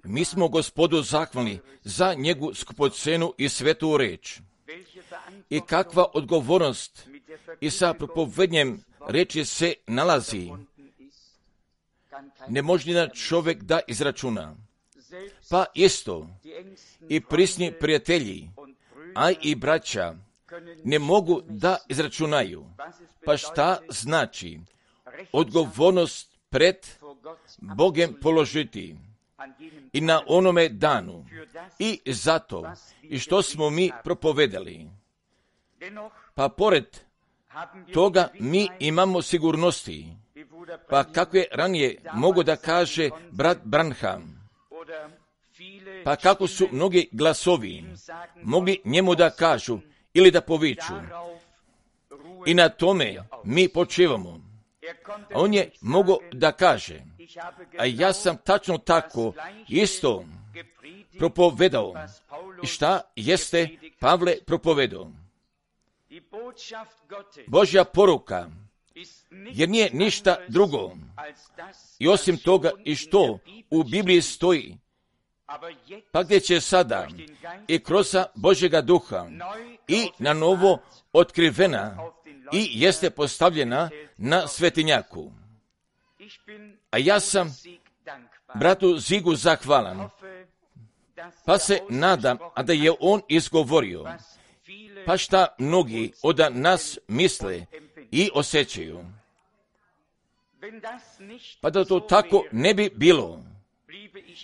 Mi smo Gospodu zahvalni za njegovu skupocenu i svetu reč. I kakva odgovornost i sa propovednjem reči se nalazi. Ne može nijedan čovjek da izračuna. Pa isto i prisni prijatelji, a i braća, ne mogu da izračunaju. Pa šta znači odgovornost pred Bogem položiti i na onome danu i zato i što smo mi propovedali. Pa pored toga mi imamo sigurnosti. Pa kako je ranije mogo da kaže brat Branham, pa kako su mnogi glasovi mogli njemu da kažu ili da poviču. I na tome mi počivamo. A on je mogao da kaže, a ja sam tačno tako isto propovedao. I šta jeste Pavle propovedao? Božja poruka, jer nije ništa drugo. I osim toga i što u Bibliji stoji, pa gdje će sada i kroz Božjega duha i na novo otkrivena i jeste postavljena na svetinjaku. A ja sam bratu Zigu zahvalan, pa se nadam, a da je on izgovorio, pa šta mnogi od nas misle i osjećaju. Pa da to tako ne bi bilo,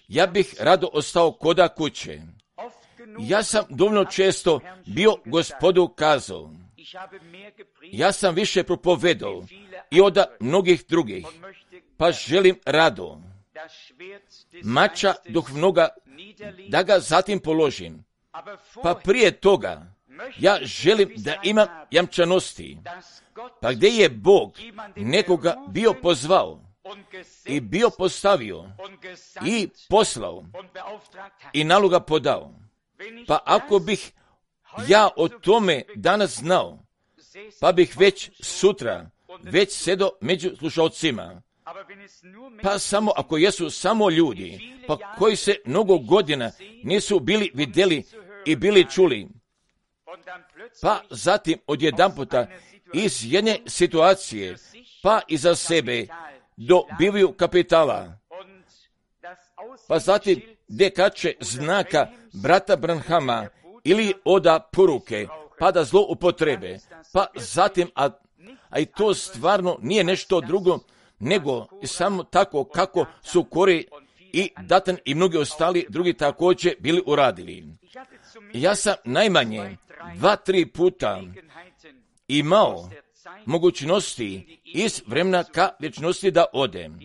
ja bih rado ostao koda kuće. Ja sam dovoljno često bio Gospodu kazao, ja sam više propovedao i od mnogih drugih, pa želim rado mača duhovnoga da ga zatim položim. Pa prije toga ja želim da imam jamčanosti. Pa gdje je Bog nekoga bio pozvao i bio postavio i poslao i naloga podao. Pa ako bih ja o tome danas znao, pa bih već sutra već sedo među slušalcima. Pa samo ako jesu samo ljudi, pa koji se mnogo godina nisu bili vidjeli i bili čuli, pa zatim odjedanputa iz jedne situacije, pa iza sebe dobivaju kapitala, pa zatim dekače znaka brata Branhama ili oda poruke, pa da zlo upotrebe, pa zatim, a i to stvarno nije nešto drugo, nego samo tako kako su Kori i Datan i mnogi ostali drugi također bili uradili. Ja sam najmanje 2-3 puta imao mogućnosti iz vremena ka vječnosti da odem.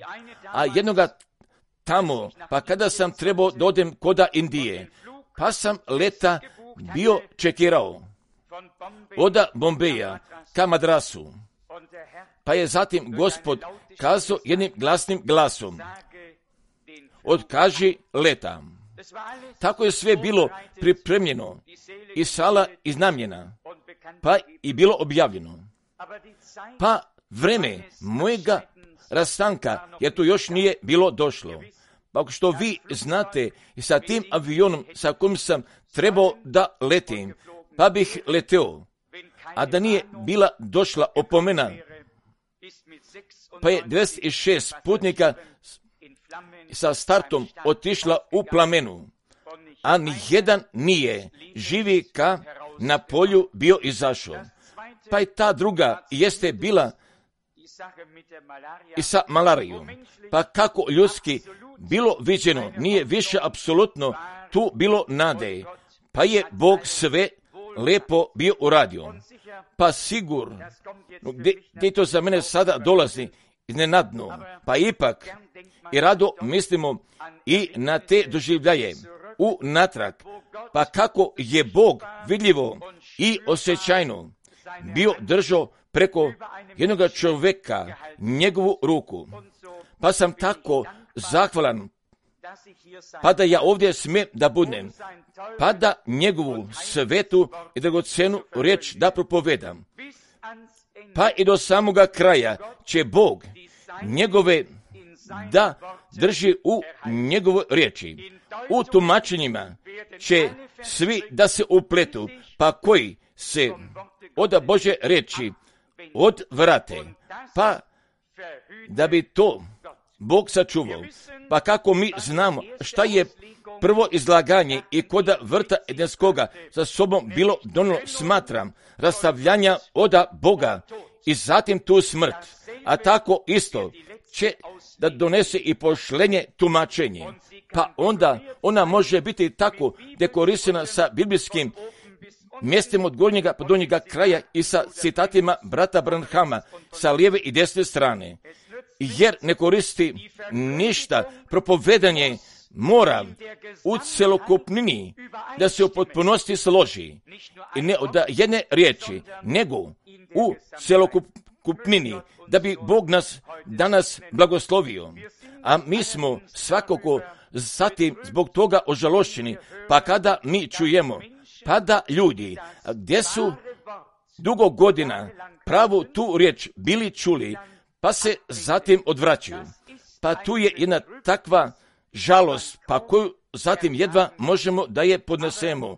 A jednoga tamo, pa kada sam trebao da odem koda Indije, pa sam leta bio čekirao od Bombeja ka Madrasu. Pa je zatim Gospod kazao jednim glasnim glasom, otkaži leta. Tako je sve bilo pripremljeno i sala iznamljena, pa i bilo objavljeno. Pa vreme mojega rastanka, jer to još nije bilo došlo. Pa ako što vi znate, sa tim avionom sa kojim sam trebao da letim, pa bih leteo, a da nije bila došla opomena, pa je 26 putnika sa startom otišla u plamenu, a nijedan nije živi ka na polju bio izašao. Pa i ta druga jeste bila i sa malarijom. Pa kako ljudski bilo viđeno, nije više apsolutno tu bilo nade. Pa je Bog sve lepo bio uradio. Pa sigurno, gdje to za mene sada dolazi iznenadno, pa ipak i rado mislimo i na te doživljaje u natrag, pa kako je Bog vidljivo i osjećajno bio držao preko jednog čovjeka njegovu ruku. Pa sam tako zahvalan, pa da ja ovdje smijem da budem, pa da njegovu svetu i dragocenu riječ da propovedam. Pa i do samoga kraja će Bog njegove da drži u njegovoj riječi. U tumačenjima će svi da se upletu, pa koji se od Božje riječi odvrate, pa da bi to Bog sačuvao. Pa kako mi znamo šta je prvo izlaganje i koda vrta Edenskoga za sobom bilo donijelo, smatram, rastavljanja od Boga i zatim tu smrt, a tako isto će da donese i pošlenje tumačenje. Pa onda ona može biti tako dekorisana sa biblijskim mjestima od gornjega pa donjega kraja i sa citatima brata Branhama sa lijeve i desne strane. Jer ne koristi ništa, propovedanje mora u celokupnini da se u potpunosti složi. I ne od jedne riječi, nego u celokupnini, da bi Bog nas danas blagoslovio. A mi smo svakako zatim zbog toga ožalošćeni, pa kada mi čujemo, pa da ljudi, gdje su dugo godina pravu tu riječ bili čuli, pa se zatim odvraćaju. Pa tu je jedna takva žalost, pa koju zatim jedva možemo da je podnesemo.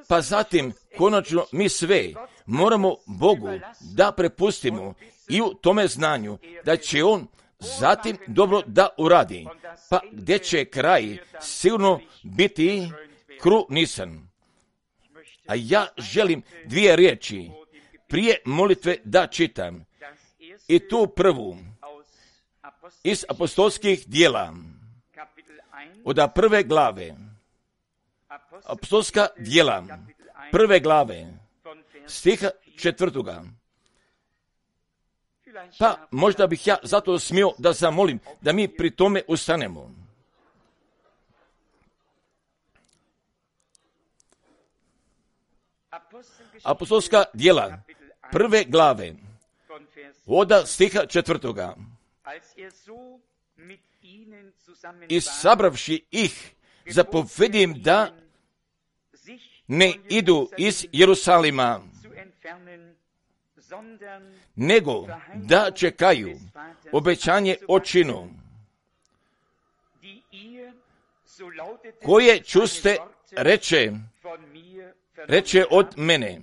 Pa zatim, konačno, mi sve moramo Bogu da prepustimo i u tome znanju da će On zatim dobro da uradi, pa gdje će kraj sigurno biti krunisan. A ja želim dvije riječi prije molitve da čitam. I tu prvu iz apostolskih djela, od prve glave, apostolska djela, prve glave, stiha 4. Pa možda bih ja zato smio da zamolim da mi pri tome ustanemo. Apostolska djela, prve glave, od stiha 4. I sabravši ih, zapovedi im da ne idu iz Jerusalima, nego da čekaju obećanje očinu, koje čuste reče od mene.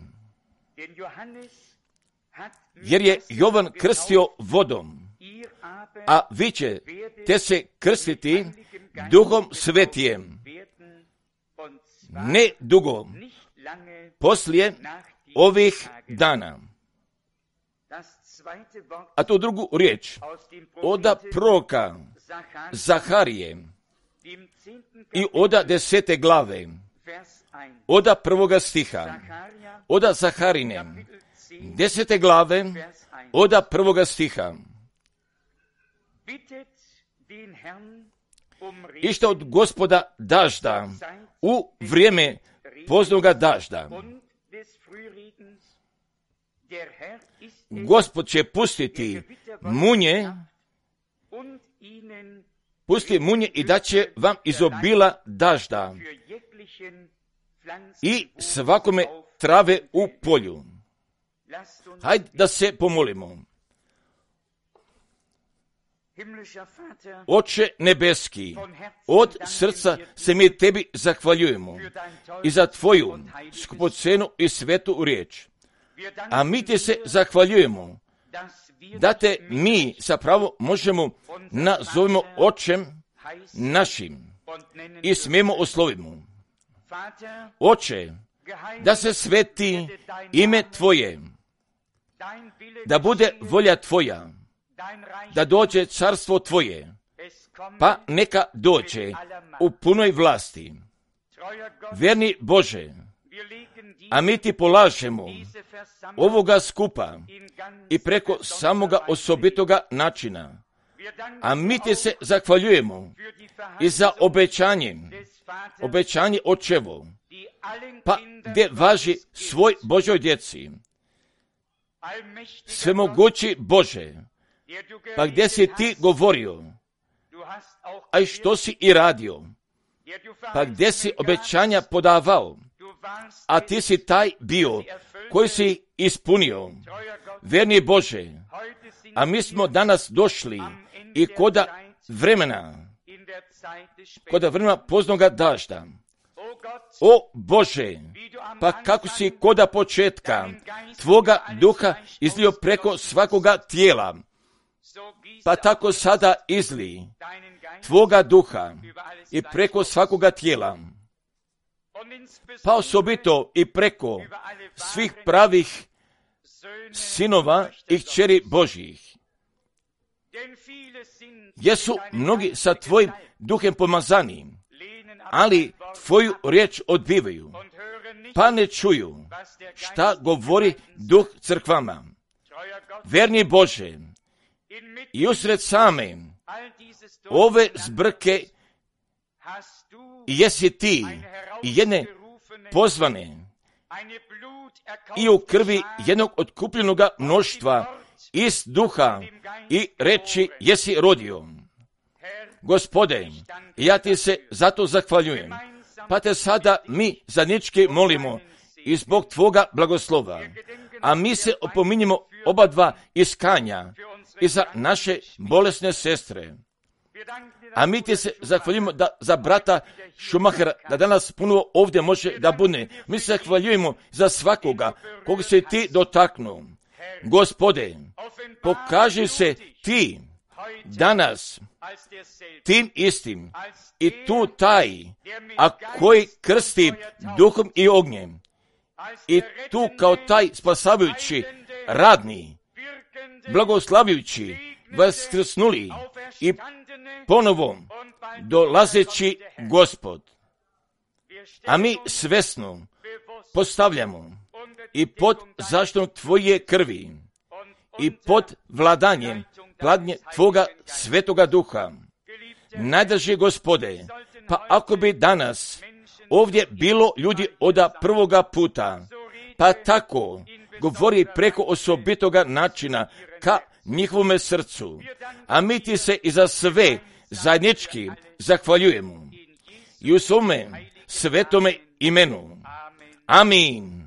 Jer je Jovan krstio vodom, a vi ćete se krstiti Duhom Svetijem ne dugo poslije ovih dana. A tu drugu riječ od proroka Zaharije i od 10. glave, od 1. stiha, od Zaharine 10. glave, od 1. stiha. Ište od Gospoda dažda u vrijeme poznoga dažda. Gospod će pustiti munje, i da će vam izobila dažda i svakome trave u polju. Hajde da se pomolimo. Oče nebeski, od srca se mi tebi zahvaljujemo i za tvoju skupocenu i svetu riječ. A mi ti se zahvaljujemo da te mi zapravo možemo nazovimo očem našim i smijemo oslovimo. Oče, da se sveti ime tvoje, da bude volja tvoja, da dođe carstvo tvoje, pa neka dođe u punoj vlasti. Vjerni Bože, a mi ti polažemo ovoga skupa i preko samoga osobitoga načina. A mi ti se zahvaljujemo i za obećanje očevo, pa gdje važi svoj Božoj djeci. Svemogući Bože, pa gdje si ti govorio, a i što si i radio, pa gdje si obećanja podavao, a ti si taj bio koji si ispunio. Vjerni Bože, a mi smo danas došli i koda vremena kod vremena poznoga dažda. O Bože, pa kako si koda početka Tvoga duha izlio preko svakoga tijela, pa tako sada izli Tvoga duha i preko svakoga tijela, pa osobito i preko svih pravih sinova i kćeri Božjih. Jesu mnogi sa Tvojim duhem pomazani, ali Tvoju riječ odbivaju, pa ne čuju šta govori duh crkvama. Verni Bože, i usred same ove zbrke jesi Ti i jedne pozvane i u krvi jednog otkupljenoga mnoštva iz duha i reči jesi rodio. Gospode, ja Ti se zato zahvaljujem, pa Te sada mi zajednički molimo i zbog Tvoga blagoslova, a mi se opominjemo oba dva iskanja i za naše bolesne sestre. A mi Ti se zahvaljujemo da za brata Šumahera, da danas puno ovdje može da bude. Mi se zahvaljujemo za svakoga koga se Ti dotaknuo. Gospode, pokaži se Ti danas tim istim i tu taj, a koji krsti duhom i ognjem, i tu kao taj spasavajući, radni, blagoslavljujući, vaskrsnuli i ponovo dolazeći Gospod. A mi svesno postavljamo i pod zaštitom Tvoje krvi i pod vladanjem Tvoga svetoga duha. Najdraži Gospode, pa ako bi danas ovdje bilo ljudi od prvoga puta, pa tako govori preko osobitoga načina ka njihovome srcu, a mi Ti se i za sve zajednički zahvaljujemo i u svome svetome imenu. Amin.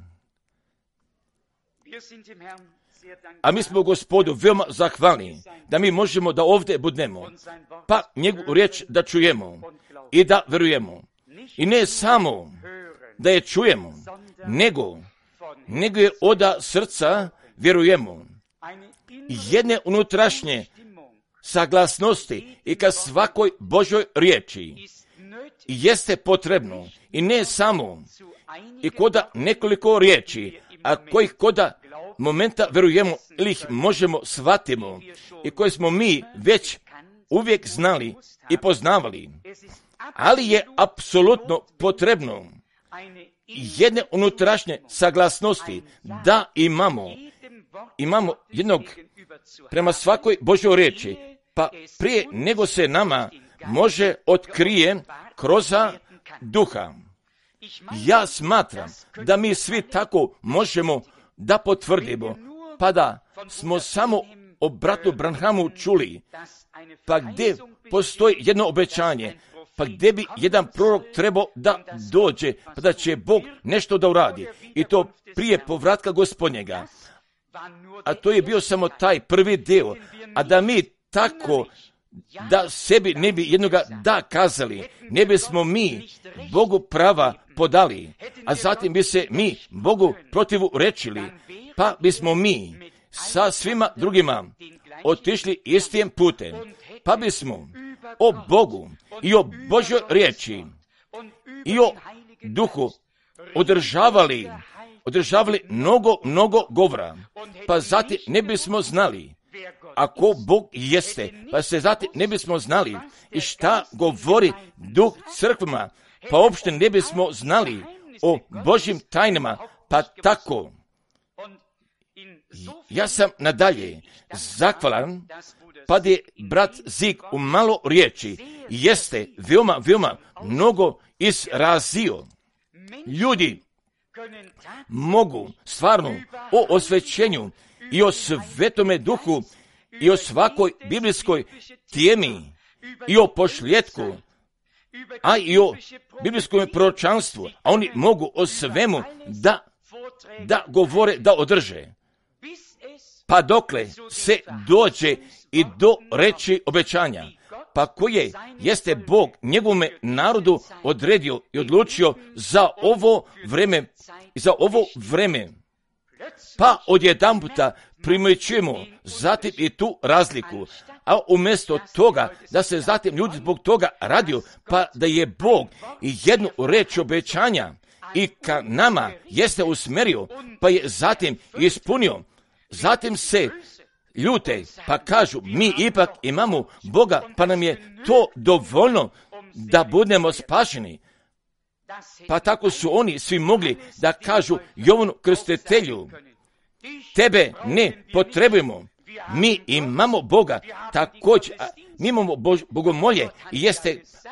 A mi smo Gospodu veoma zahvalni da mi možemo da ovdje budemo, pa njegovu riječ da čujemo i da verujemo. I ne samo da je čujemo, nego je od srca vjerujemo. Jedne unutrašnje saglasnosti i ka svakoj Božoj riječi jeste potrebno i ne samo i koda nekoliko riječi, a kojih koda momenta verujemo ili ih možemo shvatimo i koje smo mi već uvijek znali i poznavali, ali je apsolutno potrebno jedne unutrašnje saglasnosti da imamo jednog prema svakoj Božoj riječi, pa prije nego se nama može otkrije kroz duha. Ja smatram da mi svi tako možemo da potvrdimo, pa da smo samo o bratu Branhamu čuli, pa gdje postoji jedno obećanje, pa gdje bi jedan prorok trebao da dođe, pa da će Bog nešto da uradi, i to prije povratka Gospodnjega. A to je bio samo taj prvi dio, a da mi tako da sebi ne bi jednoga da kazali, ne bismo mi Bogu prava podali, a zatim bi se mi Bogu protivu rečili, pa bismo mi sa svima drugima otišli istim putem, pa bismo o Bogu i o Božoj riječi i o duhu održavali mnogo govora, pa zatim ne bismo znali ako Bog jeste, pa se zatim ne bismo znali i šta govori duh crkvama, pa uopšte ne bismo znali o Božjim tajnama, pa tako. Ja sam nadalje zahvalan, pa je brat Zig u malo riječi jeste veoma mnogo izrazio. Ljudi mogu stvarno o osvećenju i o svetome duhu i o svakoj biblijskoj temi i o pošljetku, a i o biblijskom proročanstvu, a oni mogu o svemu da govore, da održe, pa dokle se dođe i do reči obećanja. pa koje jeste Bog njegovome narodu odredio i odlučio za ovo vreme. Pa odjedanputa primjećujemo zatim i tu razliku, a umjesto toga da se zatim ljudi zbog toga radio, pa da je Bog i jednu reč obećanja i ka nama jeste usmjerio, pa je zatim ispunio, zatim se ljute, pa kažu mi ipak imamo Boga, pa nam je to dovoljno da budemo spašeni. Pa tako su oni svi mogli da kažu Jovanu Krstitelju, tebe ne potrebujemo, mi imamo Boga, također, mi imamo bogomolje,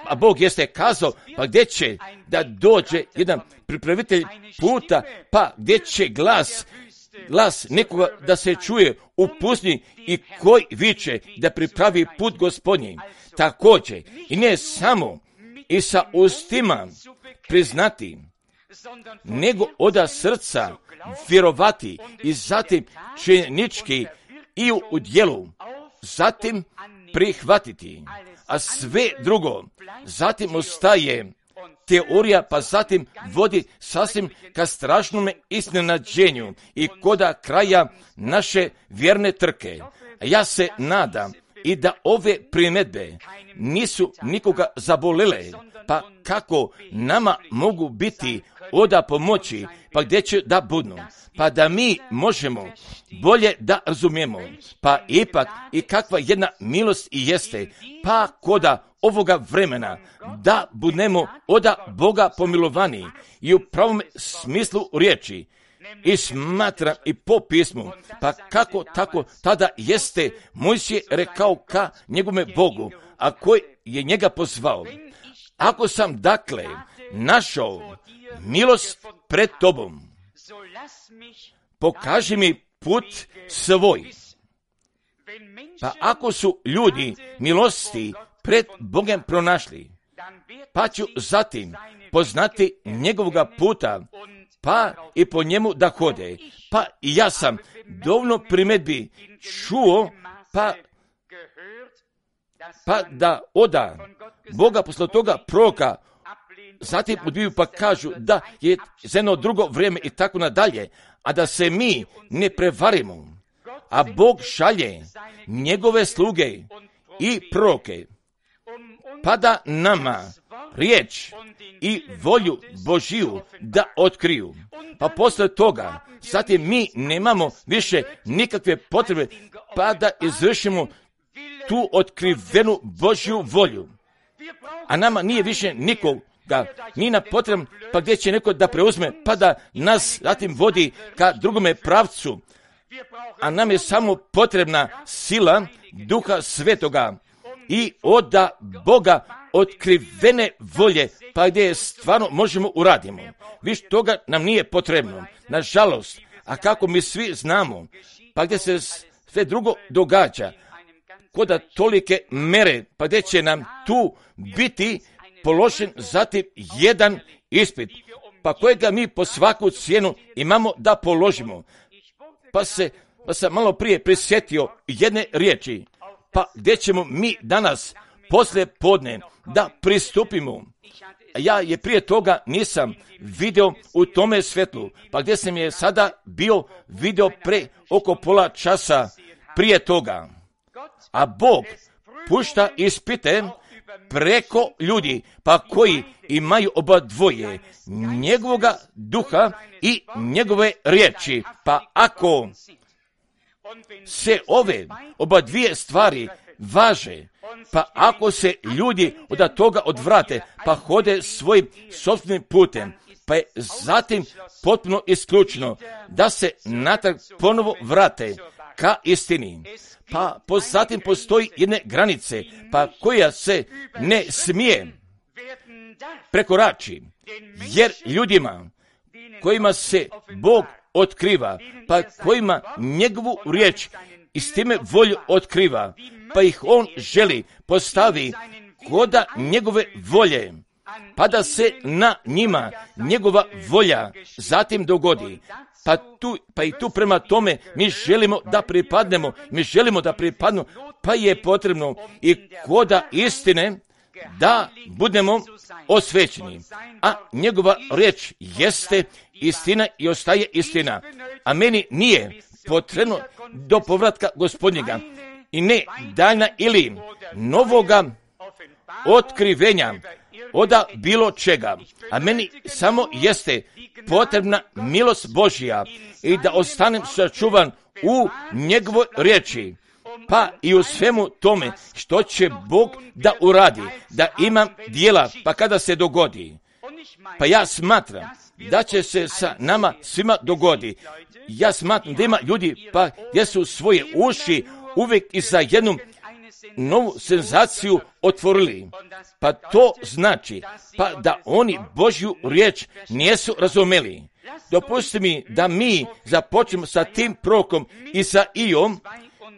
a Bog jeste kazao, pa gdje će da dođe jedan pripravitelj puta, pa gdje će glas nekoga da se čuje u pustinji i koji viče da pripravi put Gospodnji. Također, i ne samo i sa ustima priznati, nego oda srca vjerovati i zatim činjenički i u djelu, zatim prihvatiti, a sve drugo zatim ostaje teorija, pa zatim vodi sasvim ka strašnome iznenađenju i koda kraja naše vjerne trke. Ja se nadam i da ove primjedbe nisu nikoga zabolele, pa kako nama mogu biti oda pomoći, pa gdje će da budnu, pa da mi možemo bolje da razumijemo, pa ipak i kakva jedna milost i jeste, pa koda ovoga vremena da budemo oda Boga pomilovani i u pravom smislu riječi. I smatram i po pismu, pa kako tako tada jeste Mojsije rekao ka njegome Bogu, a koji je njega pozvao. Ako sam dakle našao milost pred tobom, pokaži mi put svoj. Pa ako su ljudi milosti pred Bogom pronašli, pa ću zatim poznati njegovoga puta, pa i po njemu da hode. Pa i ja sam dovoljno primjedbi čuo, pa da oda Boga posle toga proroka, zatim odbiju pa kažu da je za jedno drugo vrijeme i tako nadalje, a da se mi ne prevarimo, a Bog šalje njegove sluge i proroke, pa da nama riječ i volju Božiju da otkriju. Pa posle toga, zatim mi nemamo više nikakve potrebe, pa da izvršimo tu otkrivenu Božju volju. A nama nije više nikoga, nije nam potreban, pa gdje će neko da preuzme, pa da nas zatim vodi ka drugome pravcu. A nam je samo potrebna sila Duha Svetoga i oda Boga otkrivene volje, pa gdje je stvarno možemo uradimo. Više toga nam nije potrebno. Nažalost, a kako mi svi znamo, pa gdje se sve drugo događa, koda tolike mere, pa gdje će nam tu biti položen zatim jedan ispit, pa kojega mi po svaku cijenu imamo da položimo. Pa sam malo prije prisjetio jedne riječi, pa gdje ćemo mi danas poslije podne da pristupimo. Ja je prije toga nisam vidio u tome svjetlu, pa gdje sam je sada bio vidio pre oko pola časa prije toga. A Bog pušta ispite preko ljudi, pa koji imaju oba dvoje, njegovoga duha i njegove riječi. Pa ako se ove oba dvije stvari važe, pa ako se ljudi od toga odvrate, pa hode svojim sopstvenim putem, pa je zatim potpuno isključeno da se natrag ponovo vrate ka istini. Pa zatim postoji jedne granice, pa koja se ne smije prekorači, jer ljudima kojima se Bog otkriva, pa kojima njegovu riječ i s time volju otkriva, pa ih on želi postavi koda njegove volje, pa da se na njima njegova volja zatim dogodi. Pa i tu prema tome mi želimo da pripadnemo, pa je potrebno i koda istine da budemo osvećeni. A njegova riječ jeste istina i ostaje istina. A meni nije potrebno do povratka Gospodnjega i ne daljna ili novoga otkrivenja oda bilo čega. A meni samo jeste potrebna milost Božja i da ostanem sačuvan u njegovoj riječi. Pa i u svemu tome što će Bog da uradi, da imam djela, pa kada se dogodi. Pa ja smatram da će se sa nama svima dogodi. Ja smatram da ima ljudi pa gdje su svoje uši uvijek i za jednu novu senzaciju otvorili. Pa to znači pa da oni Božju riječ nisu razumeli. Dopustite mi da mi započnemo sa tim prorokom i sa Iom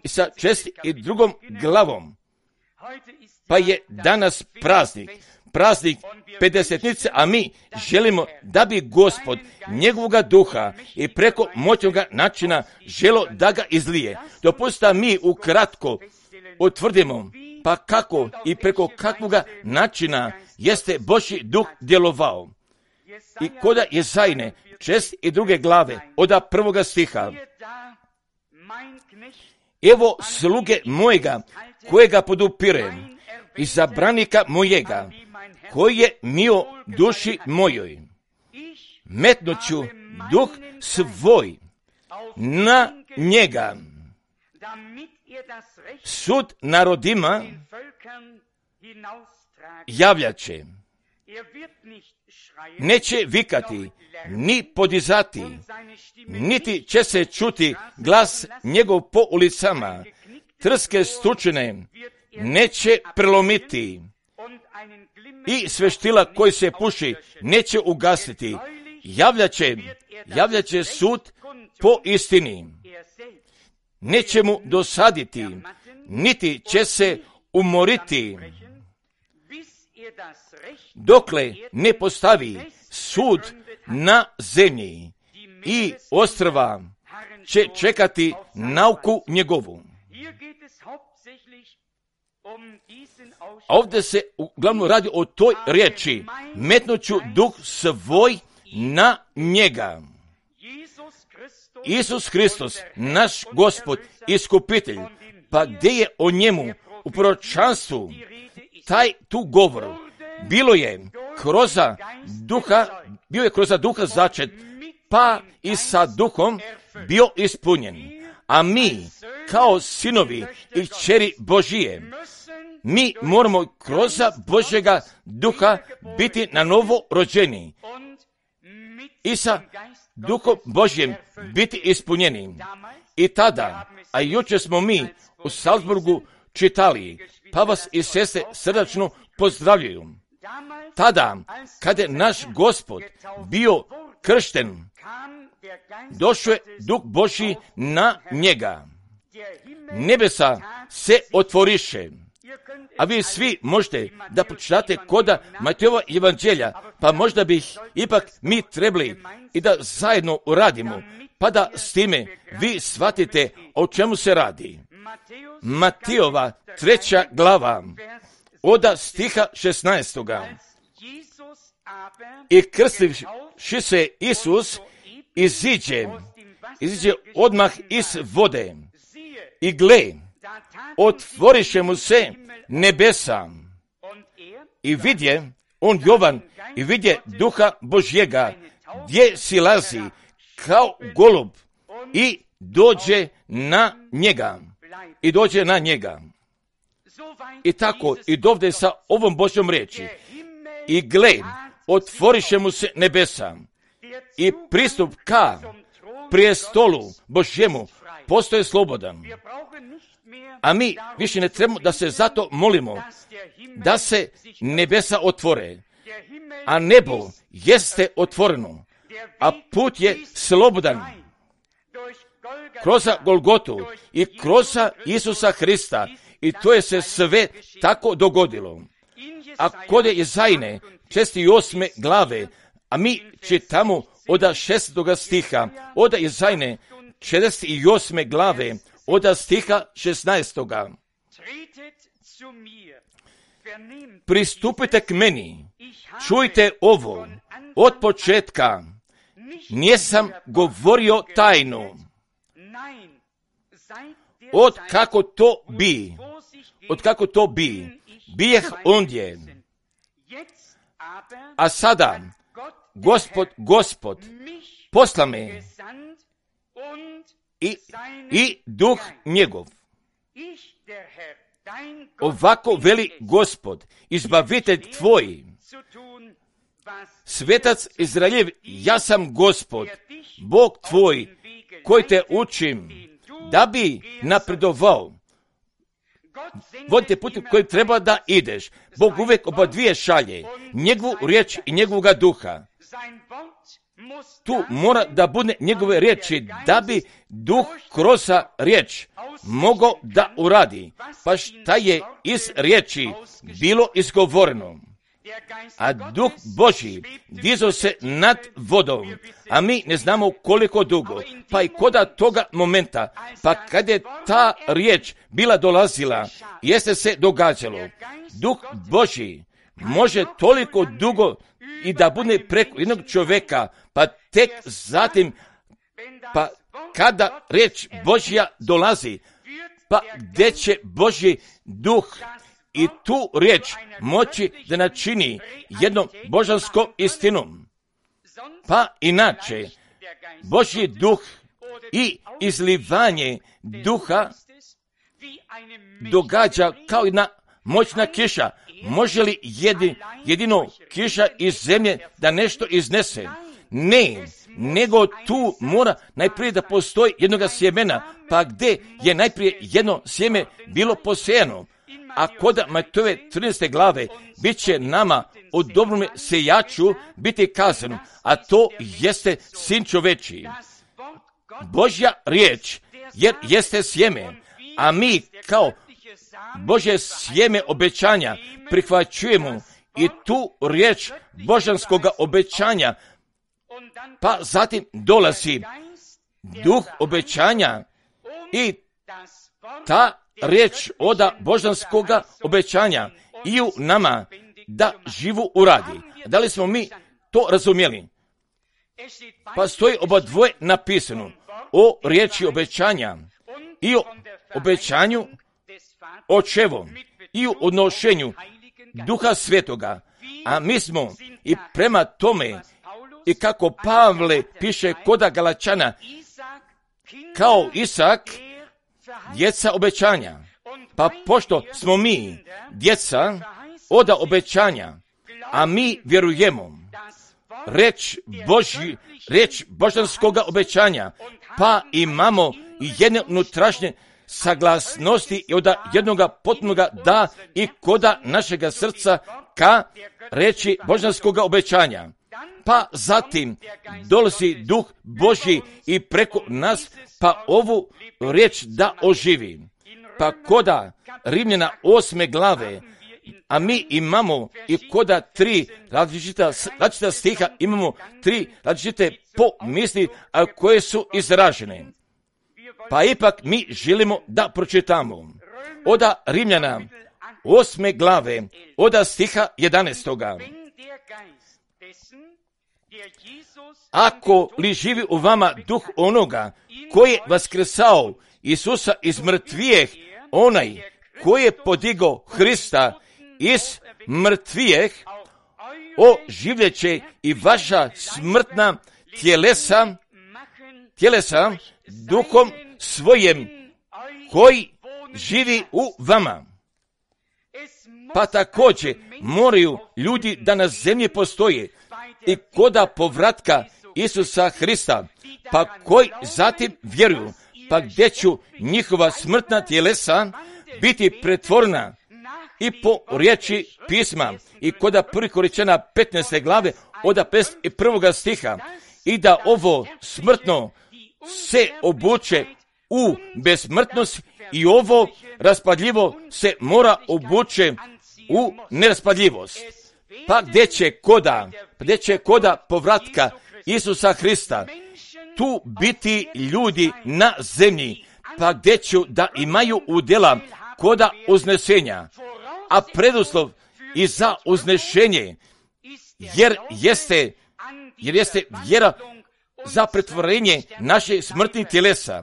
i sa 62. glavom. Pa je danas praznik pedesetnice, a mi želimo da bi Gospod njegovoga duha i preko moćnoga načina želo da ga izlije. Dopustite mi ukratko utvrdimo pa kako i preko kakvoga načina jeste Božji duh djelovao. I koda Jezajne 62. glave od 1. stiha. Evo sluge mojega kojega podupirem, izabranika mojega koji je mio duši mojoj. Metnuću duh svoj na njega. Sud narodima javljaće. Neće vikati, ni podizati, niti će se čuti glas njegov po ulicama. Trske stučine neće prelomiti i sveštila koji se puši neće ugasiti. Javljaće sud po istini. Neće mu dosaditi, niti će se umoriti, dokle ne postavi sud na zemlji i ostrva će čekati nauku njegovu. Ovdje se uglavnom radi o toj riječi, metnuću duh svoj na njega. Isus Hristos, naš Gospod, iskupitelj, pa gdje je o njemu u proročanstvu tu govor, bio je kroz duha začet, pa i sa duhom bio ispunjen. A mi, kao sinovi i kćeri Božije, mi moramo kroz Božjega duha biti na novo rođeni i sa duhom Božjem biti ispunjeni. I tada, a jučer smo mi u Salzburgu čitali, pa vas i sestre srdačno pozdravljaju. Tada, kada je naš Gospod bio kršten, došao je Duh Božji na njega. Nebesa se otvoriše. A vi svi možete da pročitate koda Matejova evanđelja, pa možda bih ipak mi trebali i da zajedno uradimo, pa da s time vi shvatite o čemu se radi. Matejova 3. glava, od stiha 16. I krstivši se Isus iziđe odmah iz vode. I gle, otvoriše mu se nebesa. I vidje, on Jovan, i vidje Duha Božjega, gdje silazi kao golub i dođe na njega. I tako, i dovde sa ovom Božjom riječi. I gle, otvoriše mu se nebesa. I pristup ka prijestolu Božjemu postoje slobodan. A mi više ne trebamo da se zato molimo da se nebesa otvore. A nebo jeste otvoreno, a put je slobodan. Kroz Golgotu i kroz Isusa Hrista. I to je se sve tako dogodilo. A kod je Jezajne 68. glave, a mi čitamo od 6. stiha, od Izajne 48. glave, od stiha 16. Pristupite k meni, čujte ovo, od početka nisam govorio tajnu, od kako to bi, bijeh ondje. A sada, Gospod, posla me i duh njegov. Ovako veli Gospod, izbavitelj tvoj, svetac Izraeljev, ja sam Gospod, Bog tvoj, koji te učim, da bi napredovao. Vodite putem kojim treba da ideš. Bog uvijek oba dvije šalje, njegovu riječ i njegovoga duha. Tu mora da bude njegove riječi, da bi duh kroz riječ mogao da uradi. Pa šta je iz riječi bilo izgovoreno? A duh Božji dizao se nad vodom, a mi ne znamo koliko dugo. Pa i koda toga momenta, pa kad je ta riječ bila dolazila, jeste se događalo. Duh Božji može toliko dugo i da bude preko jednog čovjeka, pa tek zatim, pa kada riječ Božja dolazi, pa gdje će Božji duh i tu riječ moći da načini jednom božanskom istinom. Pa inače, Božji duh i izlivanje duha događa kao jedna moćna kiša. Može li jedino kiša iz zemlje da nešto iznese? Ne, nego tu mora najprije da postoji jednoga sjemena, pa gdje je najprije jedno sjeme bilo posejano. A kod Matejove 13. glave bit će nama o dobrome sejaču biti kazano, a to jeste sin čovečiji. Božja riječ jer jeste sjeme, a mi kao Božje sjeme obećanja prihvaćujemo i tu riječ božanskoga obećanja, pa zatim dolazi duh obećanja i ta riječ oda božanskoga obećanja i u nama da živu uradi. Da li smo mi to razumjeli? Pa stoji oba dvoje napisano o riječi obećanja i o obećanju očevom i u odnošenju Duha Svetoga. A mi smo i prema tome, i kako Pavle piše koda Galačana, kao Isak, djeca obećanja. Pa pošto smo mi djeca oda obećanja, a mi vjerujemo reč božanskoga obećanja, pa imamo i jedne unutrašnje saglasnosti i od jednoga potpunoga da i koda našega srca ka reči božanskoga obećanja. Pa zatim dolazi duh Božji i preko nas pa ovu riječ da oživi. Pa koda Rimljana 8. glave, a mi imamo i koda 3 različita stiha, imamo 3 različite pomisli, a koje su izražene. Pa ipak mi želimo da pročitamo oda Rimljana 8. glave, oda stiha 11. Ako li živi u vama duh onoga koji je vaskrsao Isusa iz mrtvijeh, onaj koji je podigao Hrista iz mrtvijeh, oživljeće i vaša smrtna tjelesa duhom svojim koji živi u vama. Pa također moraju ljudi da na zemlji postoje i koda povratka Isusa Hrista, pa koji zatim vjeruju, pa gdje ću njihova smrtna tjelesa biti pretvorena i po riječi pisma i koda 1. Korinćana 15. glave od 51. stiha, i da ovo smrtno se obuče u besmrtnost i ovo raspadljivo se mora obuče u neraspadljivost. Pa gdje će koda povratka Isusa Hrista, tu biti ljudi na zemlji, pa gdje će da imaju udjela koda uznesenja, a preduslov i za uznešenje, jer jeste vjera za pretvorenje naših smrtnih tjelesa,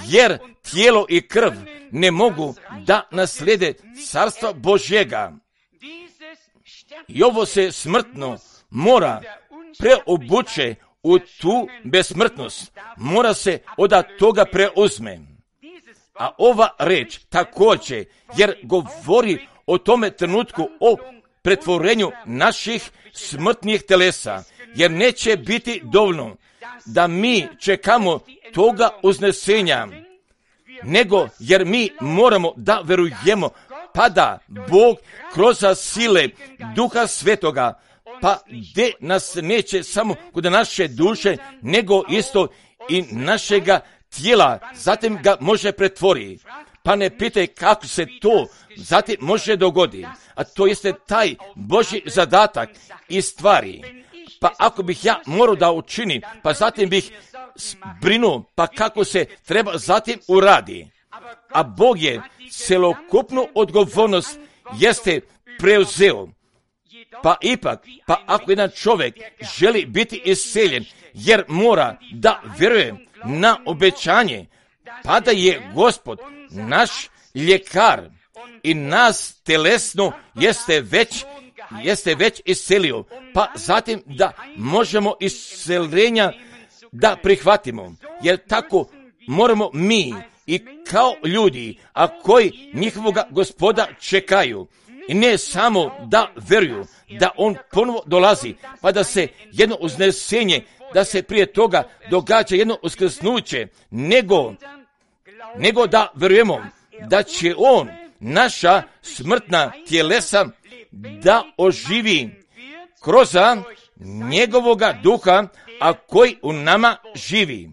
jer tijelo i krv ne mogu da naslijede carstva Božjega. I ovo se smrtno mora preobuče u tu besmrtnost, mora se od toga preuzme. A ova reč također, jer govori o tome trenutku o pretvorenju naših smrtnih telesa, jer neće biti dovoljno da mi čekamo toga uznesenja, nego jer mi moramo da verujemo, pa da Bog kroz sile Duha Svetoga, pa gdje nas neće samo kod naše duše, nego isto i našega tijela, zatim ga može pretvoriti. Pa ne pitaj kako se to zatim može dogoditi, a to jeste taj Božji zadatak i stvari. Pa ako bih ja morao da učinim, pa zatim bih brinuo, pa kako se treba zatim uradi. A Bog je celokupnu odgovornost jeste preuzeo. Pa ipak, pa ako jedan čovjek želi biti isceljen, jer mora da vjeruje na obećanje, pa da je Gospod naš ljekar i nas telesno jeste već iscelio, pa zatim da možemo isceljenja da prihvatimo, jer tako moramo mi i kao ljudi, a koji njihovoga Gospoda čekaju, i ne samo da vjeruju da on ponovo dolazi, pa da se jedno uznesenje, da se prije toga događa jedno uskrsnuće, nego da vjerujemo da će on naša smrtna tjelesa da oživi kroz njegovoga duha, a koji u nama živi.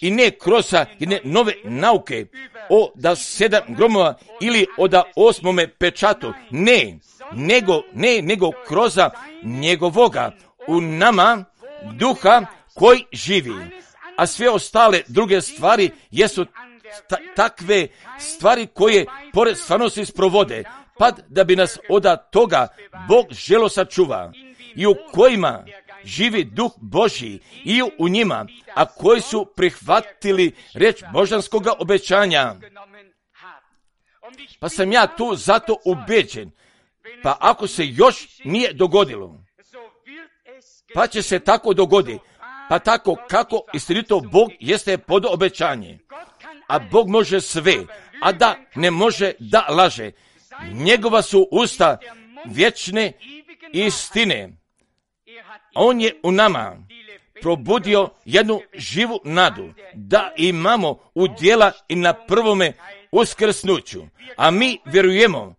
I ne kroz jedne nove nauke o da 7 gromova ili o da 8. pečatu, nego kroz njegovoga u nama duha koji živi. A sve ostale druge stvari jesu takve stvari koje pored stvarnosti sprovode, pa da bi nas od toga Bog želo sačuva, i u kojima živi Duh Božji i u njima, a koji su prihvatili reč božanskoga obećanja. Pa sam ja tu zato ubeđen, pa ako se još nije dogodilo, pa će se tako dogoditi, pa tako kako istinito Bog jeste pod obećanje. A Bog može sve, a da ne može da laže. Njegova su usta vječne istine. On je u nama probudio jednu živu nadu, da imamo udjela i na prvome uskrsnuću. A mi vjerujemo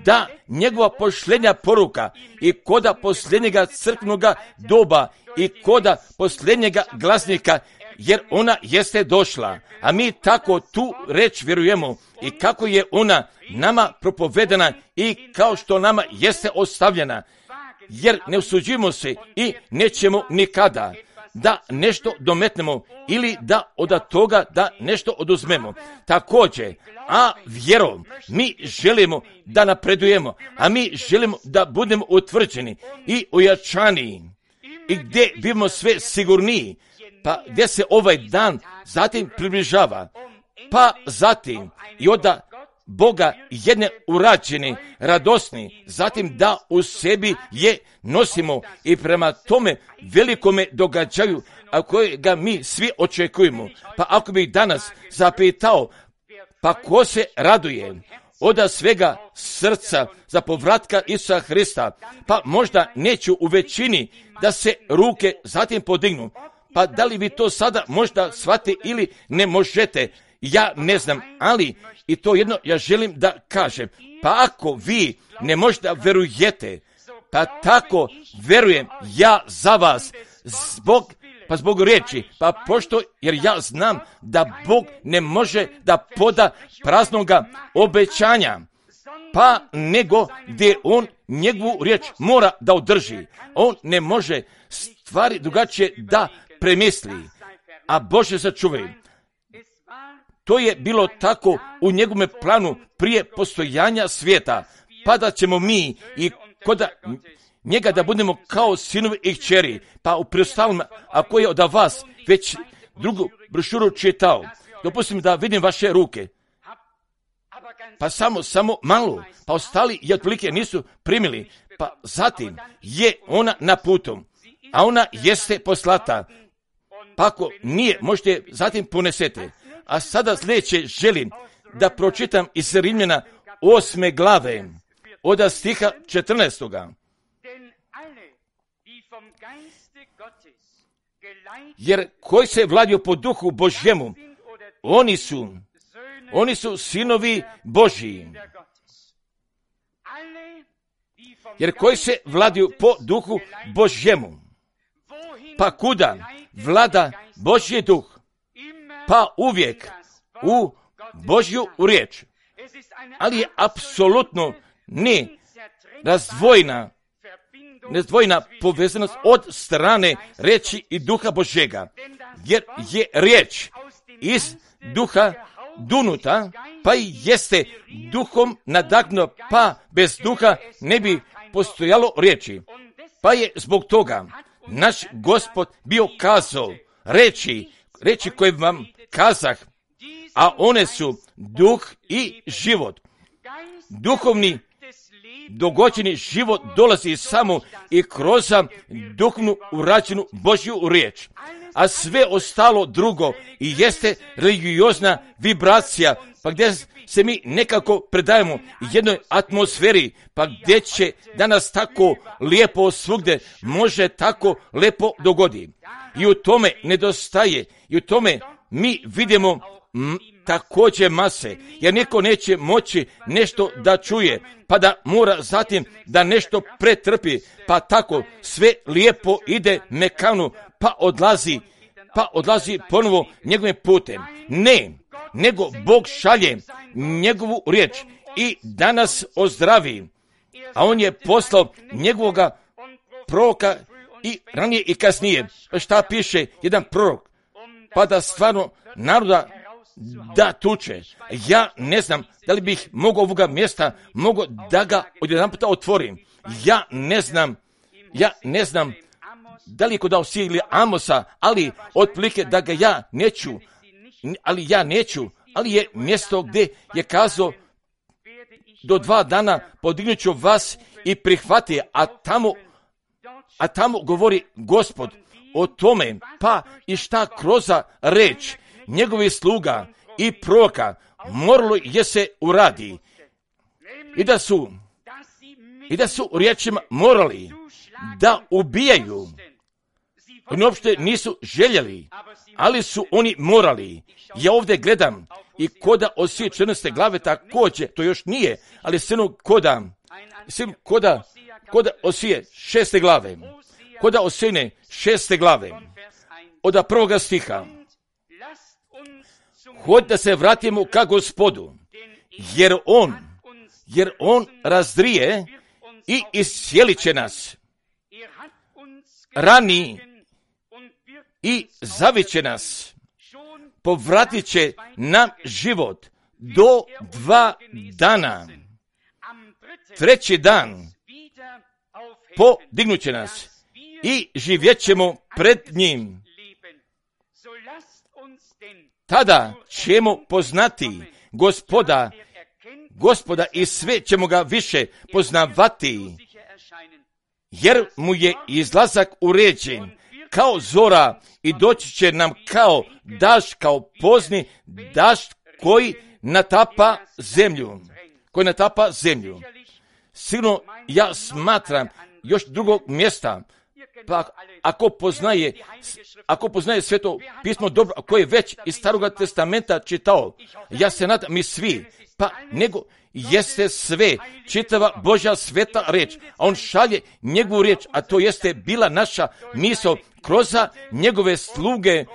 da njegova posljednja poruka i koda posljednjega crkvenoga doba i koda posljednjega glasnika, jer ona jeste došla, a mi tako tu reč vjerujemo i kako je ona nama propovedana i kao što nama jeste ostavljena, jer ne usuđujemo se i nećemo nikada da nešto dometnemo ili da od toga da nešto oduzmemo. Također, a vjerom mi želimo da napredujemo, a mi želimo da budemo utvrđeni i ojačani i gdje bimo sve sigurniji, pa gdje se ovaj dan zatim približava, pa zatim i od Boga jedne urađeni, radosni, zatim da u sebi je nosimo i prema tome velikome događaju, a kojega mi svi očekujemo. Pa ako bih danas zapitao, pa ko se raduje od svega srca za povratka Isusa Hrista, pa možda neću u većini da se ruke zatim podignu. Pa da li vi to sada možda shvati ili ne možete, ja ne znam, ali i to jedno ja želim da kažem. Pa ako vi ne možda verujete, pa tako verujem ja za vas, zbog riječi, pa pošto, jer ja znam da Bog ne može da poda praznoga obećanja, pa nego gdje on njegovu riječ mora da održi. On ne može stvari drugačije da premisli, a Bože sačuvaj. To je bilo tako u njegovom planu prije postojanja svijeta, pa da ćemo mi i kod njega da budemo kao sinovi i kćeri. Pa u preostalom, ako je od vas već drugu brošuru čitao, dopustim da vidim vaše ruke. Pa samo malo, pa ostali i otprilike nisu primili. Pa zatim je ona na putu, a ona jeste poslata. Pa ako nije, možete zatim ponesete. A sada sljedeće želim da pročitam iz Rimljana 8. glave, od stiha 14. Jer koji se vladio po duhu Božjemu, oni su sinovi Božji. Jer koji se vladio po duhu Božjemu, pa kuda vlada Božji duh, pa uvijek u Božju riječ. Ali je apsolutno ne razdvojena povezanost od strane riječi i duha Božjega. Jer je riječ iz duha dunuta, pa i jeste duhom nadahnuta, pa bez duha ne bi postojalo riječi. Pa je zbog toga naš Gospod bio kazao riječi koje vam kazah, a one su duh i život. Duhovni dogođeni život dolazi samo i kroz duhovnu urađenu Božju riječ. A sve ostalo drugo i jeste religiozna vibracija, pa gdje se mi nekako predajemo jednoj atmosferi, pa gdje će danas tako lijepo svugdje može tako lijepo dogodi. I u tome nedostaje, i u tome mi vidimo također mase, jer niko neće moći nešto da čuje, pa da mora zatim da nešto pretrpi, pa tako sve lijepo ide mekano, pa odlazi ponovo njegovim putem. Ne, nego Bog šalje njegovu riječ i danas ozdravi, a on je poslao njegovoga proroka i ranije i kasnije. Šta piše jedan prorok? Pa da stvarno naroda da tuče. Ja ne znam da li bih mogao ovoga mjesta, mogao da ga odjedanputa otvorim. Ja ne znam da li je kod Osije ili Amosa, ali otprilike da ga ja neću, ali je mjesto gdje je kazao do 2 dana podignut ću vas i prihvati, a tamo govori Gospod o tome, pa i šta kroz reč njegovih sluga i proroka moralo je se uradi. I da su riječima morali da ubijaju. Oni uopšte nisu željeli, ali su oni morali. Ja ovdje gledam i koda Osije 14. glave također, to još nije, ali koda Osije 6. glave, koda Osije 6. glave, od 1. stiha. Hod da se vratimo ka Gospodu, jer on razdrije i iscijelit će nas. Rani i zavit će nas. Povratit će nam život do 2 dana. 3. dan podignut će nas i živjet ćemo pred njim. Tada ćemo poznati Gospoda i sve ćemo ga više poznavati, jer mu je izlazak uređen kao zora i doći će nam kao dašt, kao pozni dašt koji natapa zemlju. Sigurno ja smatram još drugog mjesta, pa ako poznaje Sveto pismo dobro, ako je već iz Staroga testamenta čitao, ja se nadam mi svi, pa nego jeste sve, čitava Božja sveta riječ, a on šalje njegovu riječ, a to jeste bila naša misao kroz njegove sluge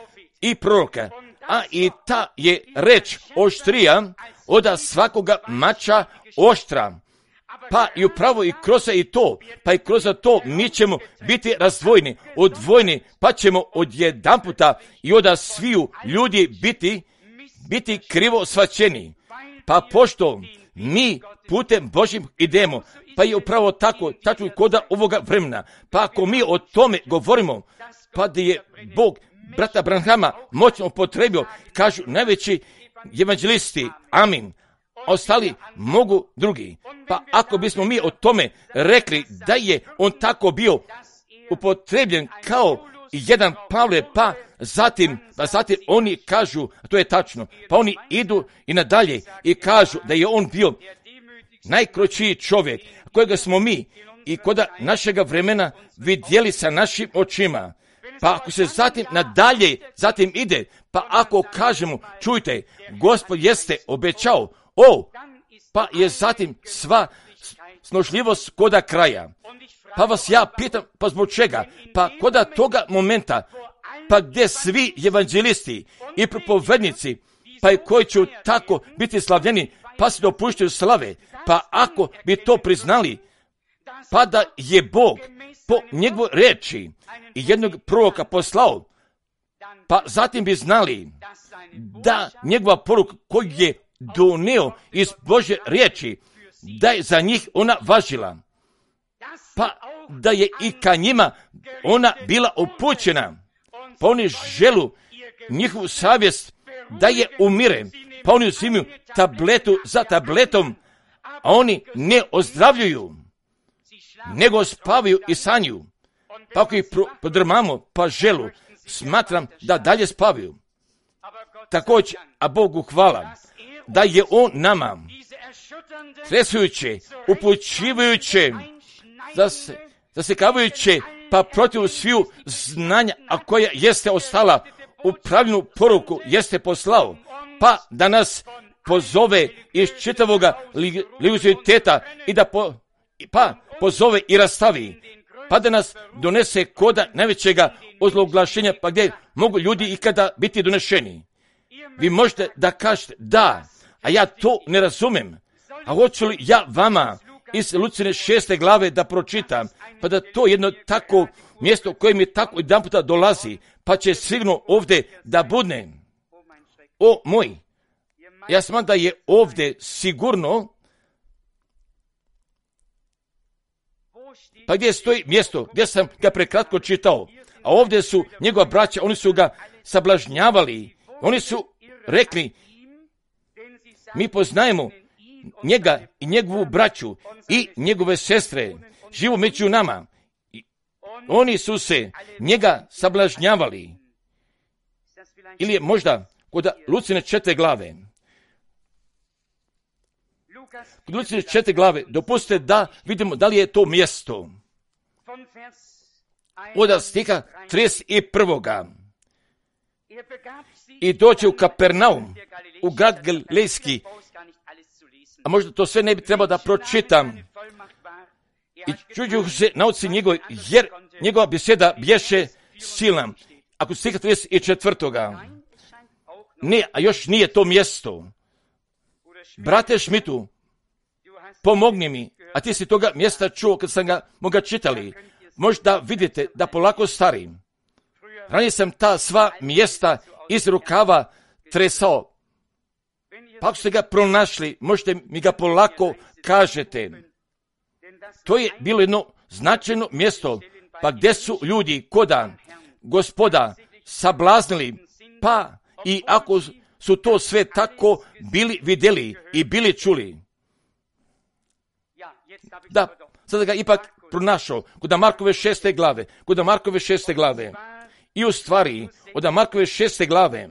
i proroka. A i ta je reč oštrija od svakoga mača oštra. Pa i upravo i kroz i to, pa i kroz to mi ćemo biti razdvojeni, odvojeni, pa ćemo odjedanputa i od sviju ljudi biti krivo shvaćeni. Pa pošto mi putem Božjim idemo, pa je upravo tako i koda ovoga vremena. Pa ako mi o tome govorimo, pa da je Bog brata Branhama moćno upotrebio, kažu najveći evanđelisti, amin, ostali mogu drugi. Pa ako bismo mi o tome rekli da je on tako bio upotrebljen kao jedan Pavle, pa zatim oni kažu, to je tačno, pa oni idu i nadalje i kažu da je on bio najkročiji čovjek kojega smo mi i koda našega vremena vidjeli sa našim očima. Pa ako se zatim ide, pa ako kažemo, čujte, Gospod jeste obećao, pa je zatim sva snošljivost koda kraja. Pa vas ja pitam, pa zbog čega? Pa koda toga momenta, pa gdje svi evanđelisti i propovednici, pa i koji će tako biti slavljeni, pa se dopuštaju slave, pa ako bi to priznali, pa da je Bog po njegovoj reči i jednog proroka poslao, pa zatim bi znali da njegova poruka koju je donio iz Božje riječi, da je za njih ona važila, pa da je i ka njima ona bila upućena, pa oni želu njihovu savjest da je umire, pa oni uzimaju tabletu za tabletom, a oni ne ozdravljuju, nego spavaju i sanju. Pa ako ih podrmamo, pa želu, smatram da dalje spavaju. Također, a Bogu hvala, da je on nama, tresujuće, upućivajuće, zasekavajuće, pa protiv sviju znanja, a koja jeste ostala u pravilnu poruku, jeste poslao, pa da nas pozove iz čitavoga univerziteta i da pozove i rastavi, pa da nas donese koda najvećega ozloglašenja, pa gdje mogu ljudi ikada biti donešeni. Vi možete da kažete da, a ja to ne razumem. A hoću li ja vama iz Lucine 6. glave da pročitam, pa da to jedno tako mjesto koje mi tako jedan puta dolazi, pa će sigurno ovdje da budne. O moj, ja smatram da je ovdje sigurno, pa gdje stoji mjesto, gdje sam ga prekratko čitao, a ovdje su njegova braća, oni su ga sablažnjavali, oni su rekli, mi poznajemo njega i njegovu braću i njegove sestre, živu među nama. Oni su se njega sablažnjavali. Ili je možda kod Lucine 4. glave. Kod Lucine 4. glave, dopustite da vidimo da li je to mjesto. Od stiha 31. I dođe u Kapernaum, u grad Galilejski, a možda to sve ne bi trebalo da pročitam. I čuđuju se nauci njegove, jer njegova beseda bješe silna. Ako stiha 34. Ne, a još nije to mjesto. Brate Šmitu, pomogni mi, a ti si toga mjesta čuo kad sam ga moga čitali. Možda vidite da polako starim. Ranije sam ta sva mjesta iz rukava tresao. Pa ako ste ga pronašli, možete mi ga polako kažete. To je bilo jedno značajno mjesto, pa gdje su ljudi koda Gospoda sablaznili, pa i ako su to sve tako bili vidjeli i bili čuli. Da, sada ga ipak pronašao kod Markove 6. glave, kod Markove 6. glave. I u stvari, od Markove 6. glave,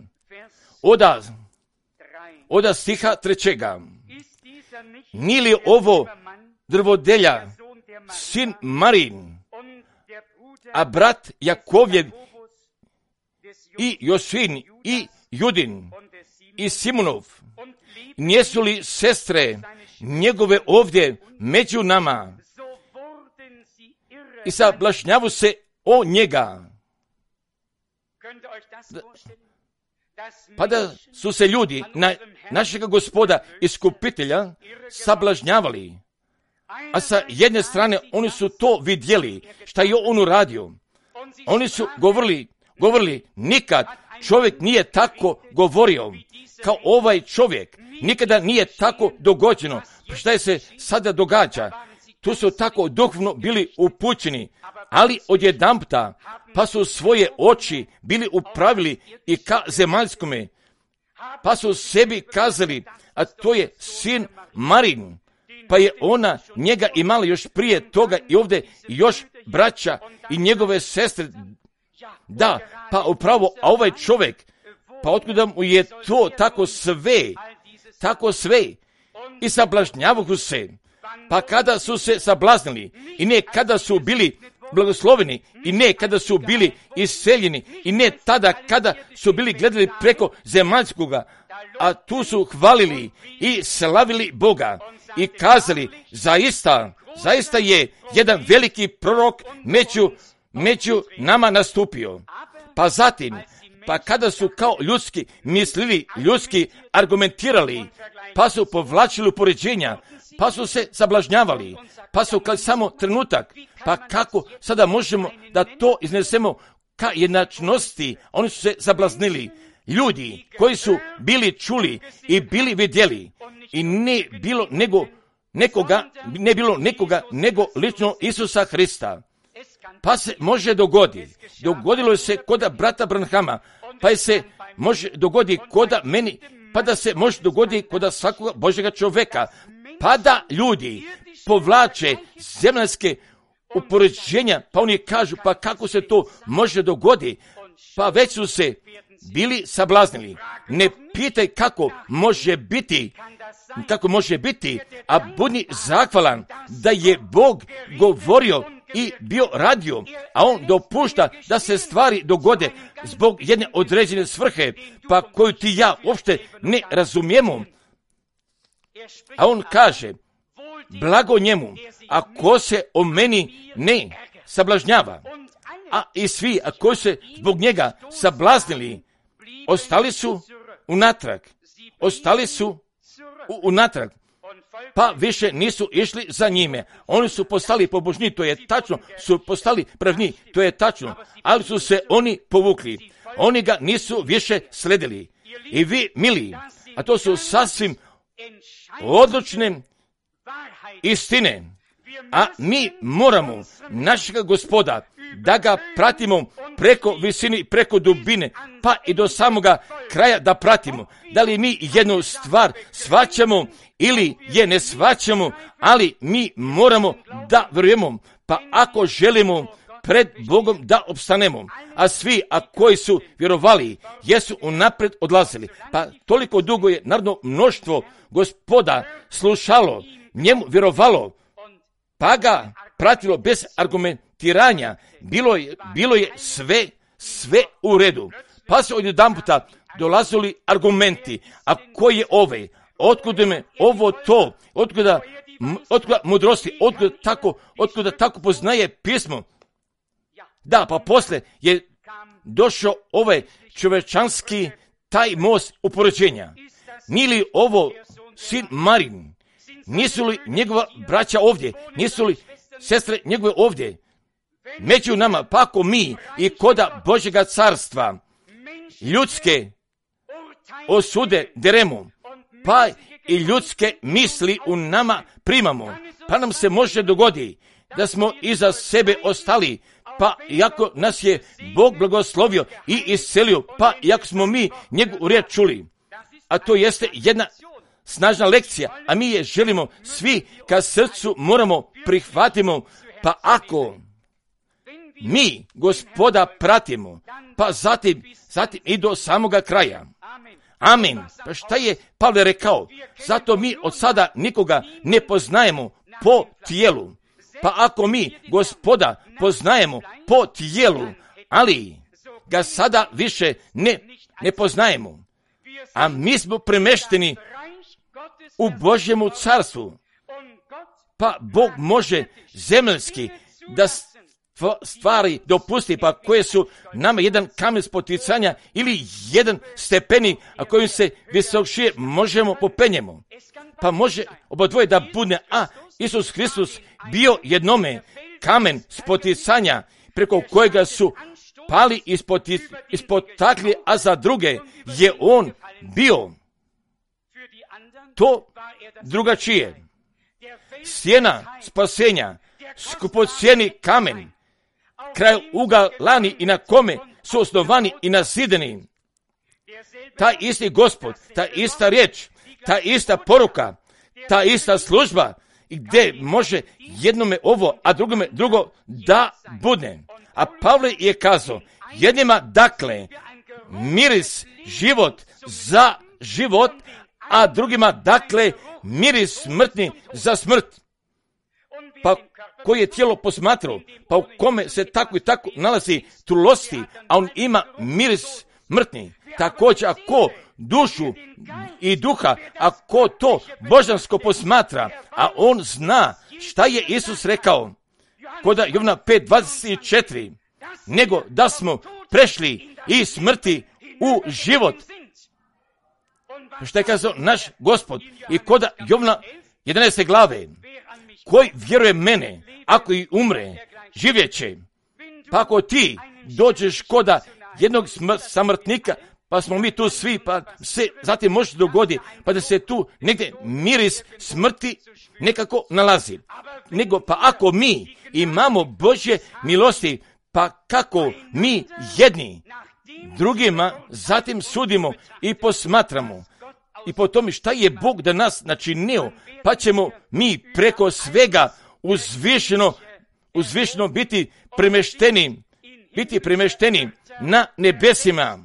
od stiha 3. Nije li ovo drvodelja, sin Marin, a brat Jakovljev i Josvin i Judin i Simonov, nisu li sestre njegove ovdje među nama i sablažnjavu se o njega. Pa da su se ljudi na našega Gospoda iskupitelja sablažnjavali, A sa jedne strane oni su to vidjeli, šta je on uradio. Oni su govorili, nikad čovjek nije tako govorio kao ovaj čovjek. Nikada nije tako dogođeno. Šta je se sada događa? Tu su tako duhovno bili upućeni, ali odjedanputa pa su svoje oči bili upravili i ka zemaljskome, pa su sebi kazali, a to je sin Marin, pa je ona njega imala još prije toga i ovdje još braća i njegove sestre. Da, pa upravo, a ovaj čovjek, pa otkuda mu je to tako sve i sablažnjavahu se, pa kada su se sablaznili i ne kada su bili blagosloveni i ne kada su bili iseljeni i ne tada kada su bili gledali preko zemaljskoga, a tu su hvalili i slavili Boga i kazali, zaista je jedan veliki prorok među nama nastupio. Pa zatim, pa kada su kao ljudski mislili, ljudski argumentirali, pa su povlačili upoređenja, pa su se sablažnjavali, pa su kao samo trenutak, pa kako sada možemo da to iznesemo ka jednačnosti, oni su se sablaznili. Ljudi koji su bili čuli i bili vidjeli i ne bilo nekoga nego lično Isusa Hrista. Pa se može dogoditi. Dogodilo se kod brata Branhama, pa se može dogoditi kod meni, pa da se može dogoditi kod svakoga Božjega čovjeka. Pa da ljudi povlače zemaljske upoređenja, pa oni kažu, pa kako se to može dogoditi? Pa već su se bili sablaznili. Ne pitaj kako može biti, a budi zahvalan da je Bog govorio i bio radio, a on dopušta da se stvari dogode zbog jedne određene svrhe, pa koju ti ja uopšte ne razumijemo. A on kaže, blago njemu, ako se o meni ne sablažnjava, a i svi, a koji se zbog njega sablaznili, ostali su unatrag, pa više nisu išli za njime. Oni su postali pobožni, to je tačno, su postali pravni, to je tačno, ali su se oni povukli. Oni ga nisu više sledili. I vi, mili, a to su sasvim odlučne istine, a mi moramo našega Gospoda da ga pratimo preko visine, preko dubine, pa i do samoga kraja da pratimo. Da li mi jednu stvar shvaćamo ili je ne shvaćamo, ali mi moramo da vjerujemo, pa ako želimo pred Bogom da opstanemo, a svi, a koji su vjerovali, jesu unaprijed odlazili. Pa toliko dugo je narodno mnoštvo Gospoda slušalo, njemu vjerovalo, pa ga pratilo bez argumentiranja. Bilo je sve u redu. Pa su odjedanputa dolazili argumenti, a koji je ovaj, otkuda me ovo to, otkuda mudrosti, otkuda tako poznaje pismo. Da, pa posle je došao ovaj čovečanski taj most upoređenja. Nije li ovo sin Marin? Nisu li njegova braća ovdje? Nisu li sestre njegove ovdje? Među nama, pa ako mi i koda Božjega carstva ljudske osude deremo, pa i ljudske misli u nama primamo, pa nam se može dogoditi da smo iza sebe ostali, pa iako nas je Bog blagoslovio i iscelio, pa iako smo mi njegovu riječ čuli, a to jeste jedna snažna lekcija, a mi je želimo svi ka srcu moramo prihvatimo, pa ako mi Gospoda pratimo, pa zatim i do samoga kraja. Amin. Pa šta je Pavle rekao? Zato mi od sada nikoga ne poznajemo po tijelu. Pa ako mi Gospoda poznajemo po tijelu, ali ga sada više ne poznajemo, a mi smo premešteni u Božjemu carstvu, pa Bog može zemaljski da stvari dopusti, pa koje su nama jedan kamen spoticanja ili jedan stepenik, a kojim se visokšije možemo popenjemo. Pa može obadvoje da bude, a Isus Hristos bio jednome kamen spoticanja preko kojega su pali ispod takli, a za druge je on bio to drugačije. Sjena spasenja, skupocijeni kamen, kraj ugalani i na kome su osnovani i nasideni. Ta isti Gospod, ta ista riječ, ta ista poruka, ta ista služba, gdje može jednome ovo, a drugome drugo da bude. A Pavle je kazao, jednima dakle miris život za život, a drugima dakle miris smrtni za smrt. Pa koji je tijelo posmatrao, pa u kome se tako i tako nalazi trulosti, a on ima miris smrtni. Također ako dušu i duha, ako to božansko posmatra, a on zna šta je Isus rekao kod Jovana 5:24, nego da smo prešli iz smrti u život. Što je kazao naš Gospod i kod Jovana 11. glave, koji vjeruje mene, ako i umre, živjet će. Pa ako ti dođeš kod jednog samrtnika, pa smo mi tu svi, pa se zatim može dogoditi, pa da se tu negdje miris smrti nekako nalazi. Nego pa ako mi imamo Božje milosti, pa kako mi jedni drugima zatim sudimo i posmatramo i po tome šta je Bog da nas načinio, pa ćemo mi preko svega uzvišeno biti premješteni na nebesima.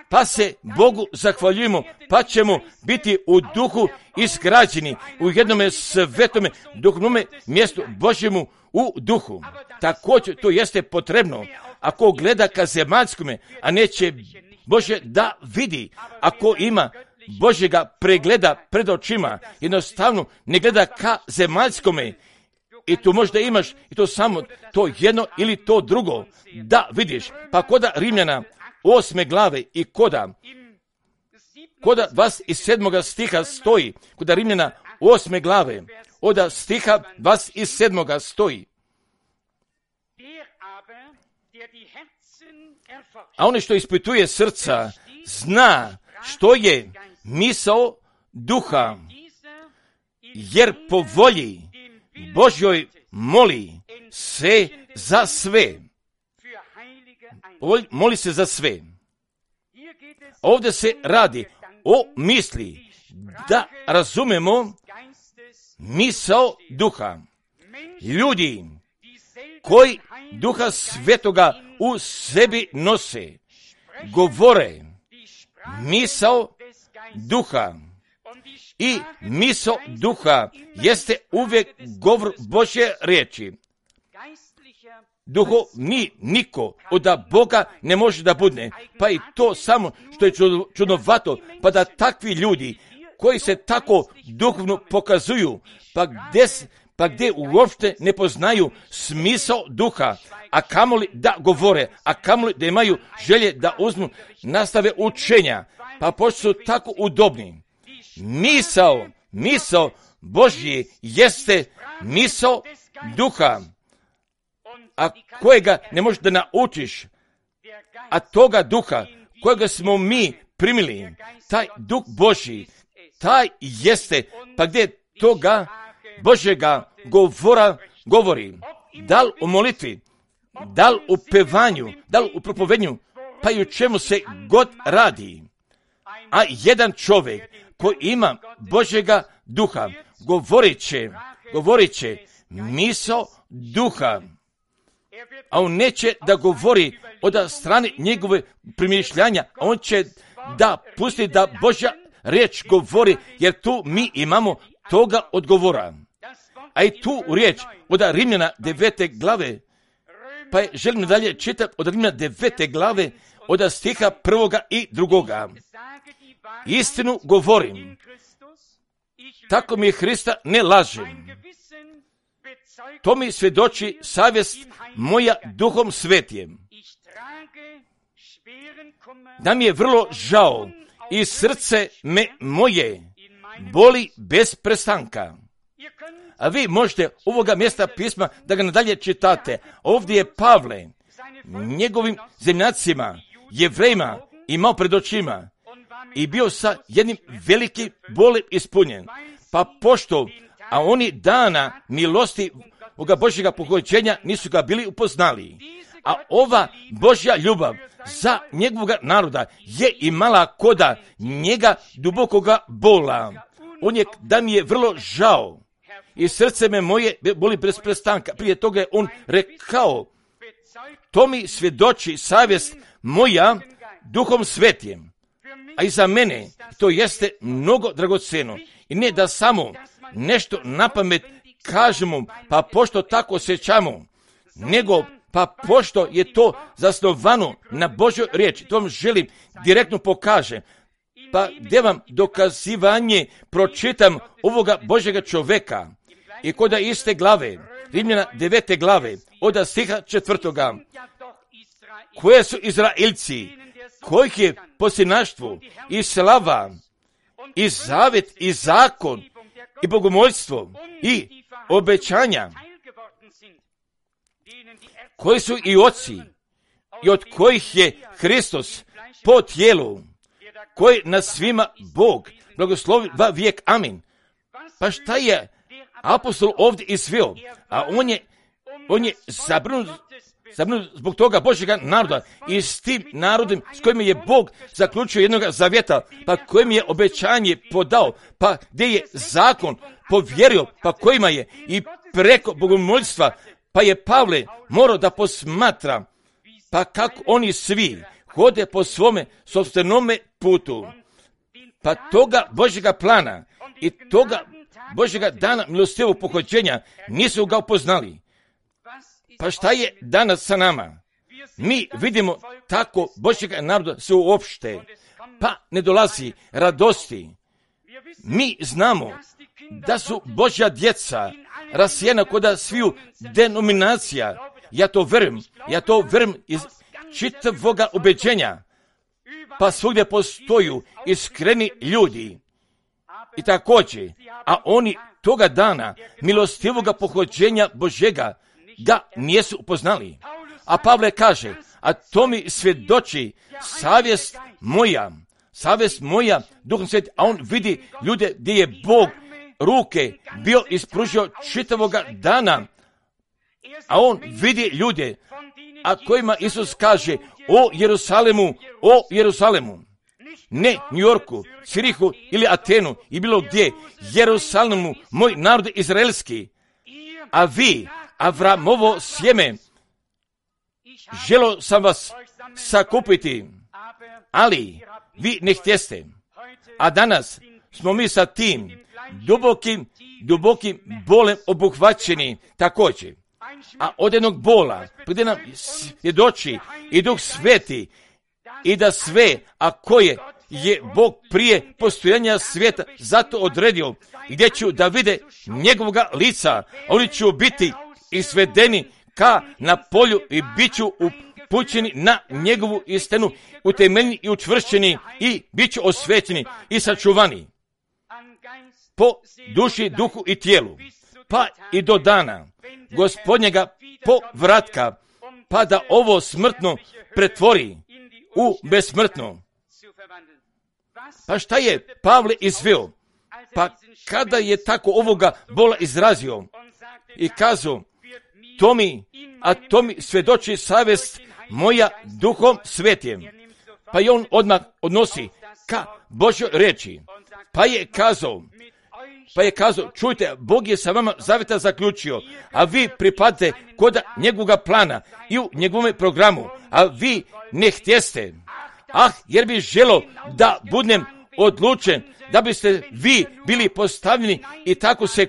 Pa se Bogu zahvaljujemo, pa ćemo biti u duhu izgrađeni u jednome svetome duhovnome mjestu Božjemu u duhu. Također to jeste potrebno. Ako gleda ka zemaljskome, a neće Bože da vidi, ako ima Božjega pregleda pred očima, jednostavno ne gleda ka zemaljskome, i tu možda imaš i to samo to jedno ili to drugo da vidiš. Pa koda Rimljana 8. glave i koda 27. stiha stoji, koda Rimljana 8. glave, od stiha 27. stoji. A onaj što ispituje srca, zna što je misao duha, jer po volji Božjoj moli se za sve. Moli se za sve. Ovdje se radi o misli, da razumemo misao duha. Ljudi koji duha svetoga u sebi nose, govore misao duha. I misao duha jeste uvijek govor Božje riječi. Duhovni niko od Boga ne može da bude, pa i to samo što je čudnovato, pa da takvi ljudi koji se tako duhovno pokazuju, pa gdje uopšte ne poznaju smisao duha, a kamoli da govore, a kamoli da imaju želje da uzmu nastave učenja, pa pošto su tako udobni. Misao Božje jeste misao duha, a kojega ne možeš da naučiš, a toga duha kojega smo mi primili, taj duh Božji, taj jeste, pa gdje toga Božjega govori, da li u molitvi, da li u pevanju, da li u propovednju, pa i u čemu se god radi. A jedan čovjek koji ima Božjega duha, govorit će misao duha, a on neće da govori od strane njegove primišljanja, a on će da pusti da Božja riječ govori, jer tu mi imamo toga odgovora. A i tu riječ od Rimljana 9. glave, pa želim dalje čitati od Rimljana 9. glave, od stiha 1. i 2. Istinu govorim, tako mi je Hrista ne lažem. To mi svjedoči savjest moja duhom svetijem. Da mi je vrlo žao i srce me moje boli bez prestanka. A vi možete ovoga mjesta pisma da ga nadalje čitate. Ovdje je Pavle njegovim zemljacima, Jevrejima, imao pred očima i bio sa jednim velikim bolem ispunjen. Pa pošto, a oni dana milosti ovoga Božjega pohođenja nisu ga bili upoznali. A ova Božja ljubav za njegovog naroda je imala koda njega dubokoga bola. On je, da mi je vrlo žao i srce me moje boli bez prestanka. Prije toga je on rekao, to mi svjedoči savjest moja Duhom Svetim, a i za mene to jeste mnogo dragocjeno. I ne da samo nešto na pamet kažemo, pa pošto tako osjećamo, nego pa pošto je to zasnovano na Božoj riječi. To vam želim direktno pokažem. Pa gdje vam dokazivanje pročitam ovoga Božjega čovjeka i koda iste glave, Rimljana 9. glave, od stiha 4. Koje su Izraelci, kojih je posljednaštvo i slava i zavjet i zakon i bogomoljstvo i obećanja, koji su i oci i od kojih je Hristos po tijelu, koji na svima Bog blagoslovi va vijek. Amin. Pa šta je apostol ovdje izveo? A on je zabrinut zbog toga Božjega naroda i s tim narodom s kojim je Bog zaključio jednog zavjeta, pa kojim je obećanje podao, pa gdje je zakon povjerio, pa kojima je i preko bogomoljstva, pa je Pavle morao da posmatra, pa kako oni svi hode po svome sopstvenome putu. Pa toga Božjega plana i toga Božjega dana milostivog pohođenja nisu ga upoznali. Pa šta je danas sa nama? Mi vidimo tako Božjega naroda se uopšte, pa ne dolazi radosti. Mi znamo da su Božja djeca rasijena koda sviju denominacija. Ja to verujem iz čitavoga ubeđenja. Pa svugdje postoju iskreni ljudi. I također, a oni toga dana milostivoga pohođenja Božjega ga nisu upoznali. A Pavle kaže, a to mi svjedoči savjest moja, Duhom Svetim, a on vidi ljude gdje je Bog ruke bio ispružio čitavoga dana, a on vidi ljude, a kojima Isus kaže, o Jerusalemu, ne New Yorku, Cirihu ili Atenu i bilo gdje, Jerusalemu, moj narod izraelski, a vi, Avramovo sjeme, želo sam vas sakupiti, ali vi ne htjeste. A danas smo mi sa tim dubokim bolem obuhvaćeni također. A od jednog bola, gdje nam svjedoči i Duh Sveti, i da sve, a koje je Bog prije postojanja svijeta zato odredio, gdje ću da vide njegovoga lica, oni će biti isvedeni ka na polju i bit ću upućeni na njegovu istinu, utemeljeni i učvršćeni i bit ću osvećeni i sačuvani po duši, duhu i tijelu, pa i do dana Gospodnjega povratka, pa da ovo smrtno pretvori u besmrtno. Pa šta je Pavle izveo? Pa kada je tako ovoga bola izrazio i kazao, to mi svjedoči savjest moja Duhom Svetim. Pa je on odmah odnosi ka Božjoj riječi. Pa je kazao, čujte, Bog je sa vama zavjeta zaključio, a vi pripadate kod njegovoga plana i u njegovom programu, a vi ne htjeste. Jer bi želo da budem odlučen, da biste vi bili postavljeni i tako se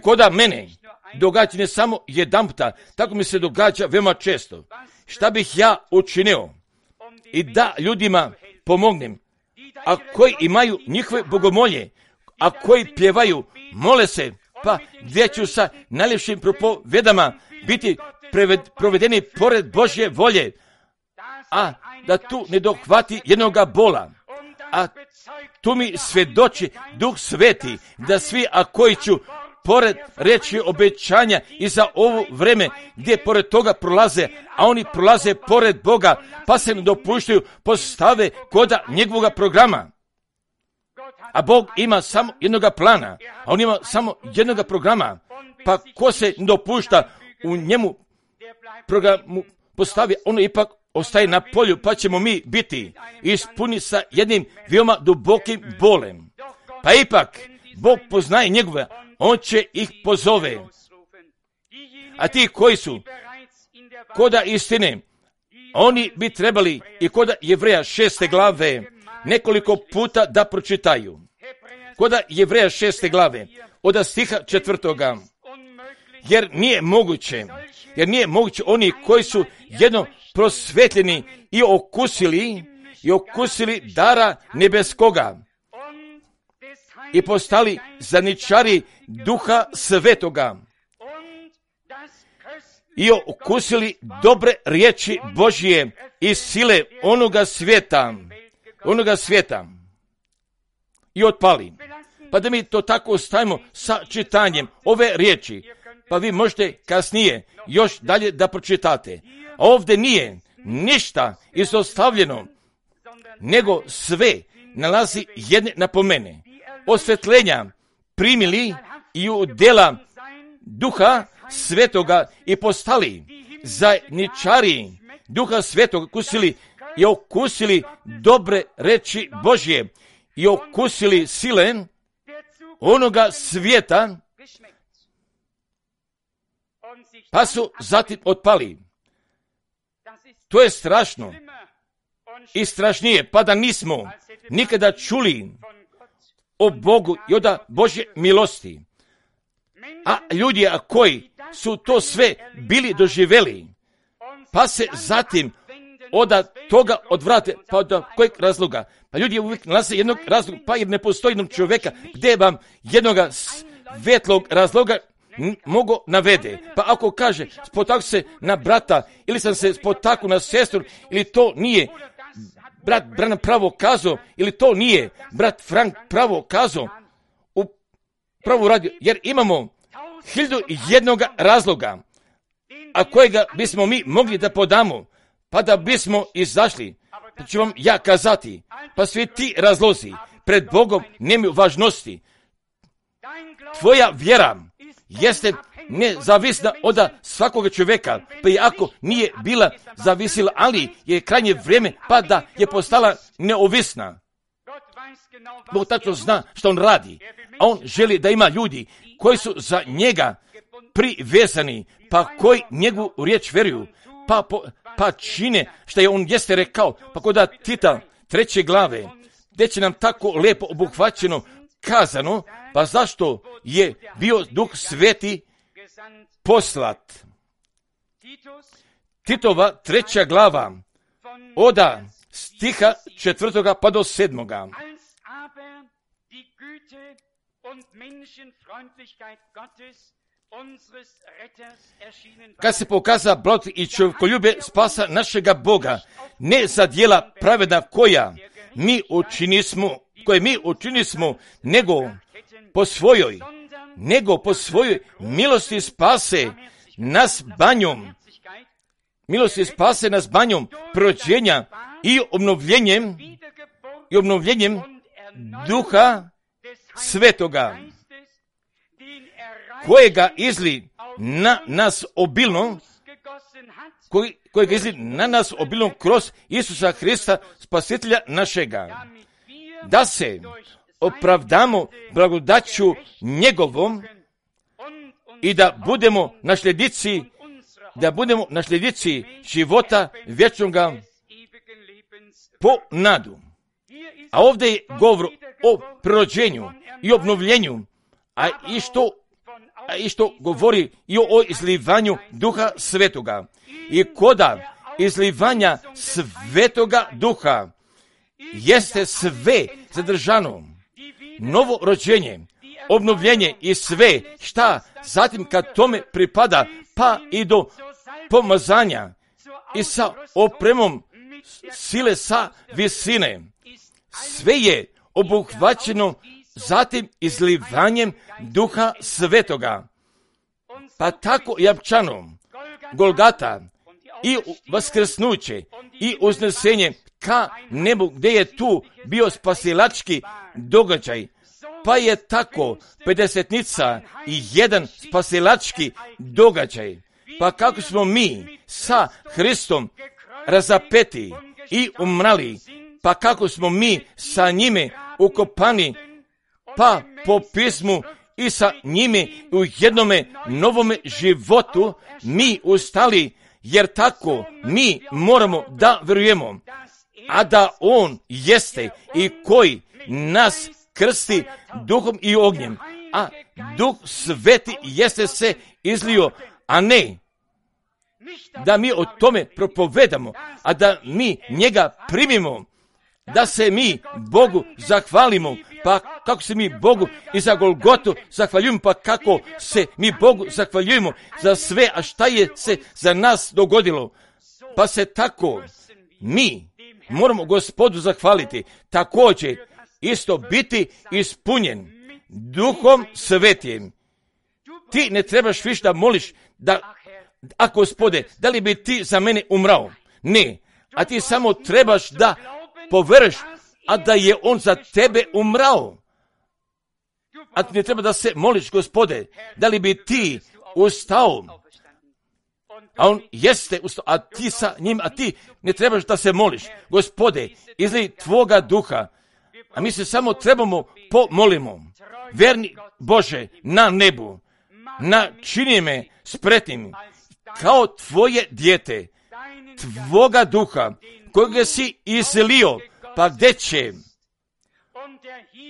koda mene događa ne samo jedanputa, tako mi se događa veoma često. Šta bih ja učinio i da ljudima pomognem, a koji imaju njihove bogomolje, a koji pjevaju, mole se, pa gdje ću sa najljepšim propovedama biti provedeni pored Božje volje, a da tu ne dohvati jednoga bola, a tu mi svjedoči Duh Sveti, da svi, a koji ću pored reći obećanja i za ovo vreme, gdje pored toga prolaze, a oni prolaze pored Boga, pa se ne dopuštaju, postave koda njegovog programa. A Bog ima samo jednoga plana, a on ima samo jednoga programa, pa ko se ne dopušta u njemu programu postavi, ono ipak ostaje na polju, pa ćemo mi biti ispuni sa jednim veoma dubokim bolem. Pa ipak, Bog poznaje njegove, on će ih pozove. A ti koji su koda istine, oni bi trebali i koda Jevreja 6. glave nekoliko puta da pročitaju. Koda Jevreja 6. glave, od stiha 4. Jer nije moguće oni koji su jedno prosvetljeni i okusili dara nebeskoga i postali zadničari Duha Svetoga i okusili dobre riječi Božije i sile onoga svijeta i otpali. Pa da mi to tako ostavimo sa čitanjem ove riječi, pa vi možete kasnije još dalje da pročitate. A ovdje nije ništa izostavljeno, nego sve nalazi jedne napomene. Osvetljenja primili i u djela Duha Svetoga i postali zajedničari Duha Svetoga, okusili dobre reči Božje i okusili sile onoga svijeta, pa su zatim otpali. To je strašno i strašnije, pa da nismo nikada čuli o Bogu i od Božje milosti. A ljudi koji su to sve bili doživjeli, pa se zatim od toga odvrate, pa od kojeg razloga? Pa ljudi uvijek nalaze jednog razloga, pa jer ne postoji jednog čovjeka gdje vam jednog svetlog razloga mogu navede. Pa ako kaže spotaknu se na brata ili sam se spotaknuo na sestru, ili to nije brat Branham pravo kazao, ili to nije brat Frank pravo kazao, u pravu radio, jer imamo 1001 razloga, a kojega bismo mi mogli da podamo, pa da bismo izašli. Pa ću vam ja kazati, pa svi ti razlozi pred Bogom nemaju važnosti. Tvoja vjera jeste nezavisna od svakoga čovjeka, pa i ako nije bila zavisila, ali je krajnje vrijeme pa da je postala neovisna. Bog tačno zna što on radi, a on želi da ima ljudi koji su za njega privezani, pa koji njegovu riječ vjeruju, pa čine što je on jeste rekao, pa kod Tita 3. glave, gdje će nam tako lijepo obuhvaćeno kazano, pa zašto je bio Duh Sveti poslat. Titova 3. glava, od stiha 4. pa do 7. Kad se pokaza blagodat i čovjekoljube spasa našega Boga, ne za djela pravedna koje mi učinismo, nego po svojoj milosti spase nas banjom prođenja i obnovljenjem Duha Svetoga, kojega izli na nas obilno, kroz Isusa Hrista, Spasitelja našega, da se opravdamo blagodaću njegovom i da budemo nasljednici života vječnoga po nadu. A ovdje je govor o prirođenju i obnovljenju, a isto govori i o izlivanju Duha Svetoga. I koda izlivanja Svetoga Duha jeste sve zadržano, novo rođenje, obnovljenje i sve šta zatim kad tome pripada, pa i do pomazanja i sa opremom sile sa visine. sve je obuhvaćeno zatim izlivanjem Duha Svetoga. Pa tako japčanom Golgata i vaskrsnuće i uznesenje ka nebu, gdje je tu bio spasilački događaj, pa je tako pedesetnica i jedan spasilački događaj. Pa kako smo mi sa Hristom razapeti i umrali, pa kako smo mi sa njime ukopani, pa po pismu i sa njime u jednome novome životu mi ustali, jer tako mi moramo da vjerujemo, a da On jeste i koji nas krsti duhom i ognjem, a Duh Sveti jeste se izlio, a ne da mi o tome propovedamo, a da mi njega primimo, da se mi Bogu zahvalimo, pa kako se mi Bogu i za Golgotu zahvaljujemo, pa kako se mi Bogu zahvaljujemo za sve, a šta je se za nas dogodilo, pa se tako mi moramo Gospodu zahvaliti, također isto biti ispunjen Duhom Svetim. Ti ne trebaš više da moliš da, a Gospode, da li bi ti za mene umrao? Ne, a ti samo trebaš da poveruješ, a da je On za tebe umrao. A ti ne treba da se moliš, Gospode, da li bi ti ustao? A On jeste ustao, a ti sa njim, a ti ne trebaš da se moliš. Gospode, izli Tvoga duha, a mi se samo trebamo pomolimo. Verni Bože na nebu, načini me spretnim kao Tvoje dijete, Tvoga duha, kojega si iselio, pa gdje će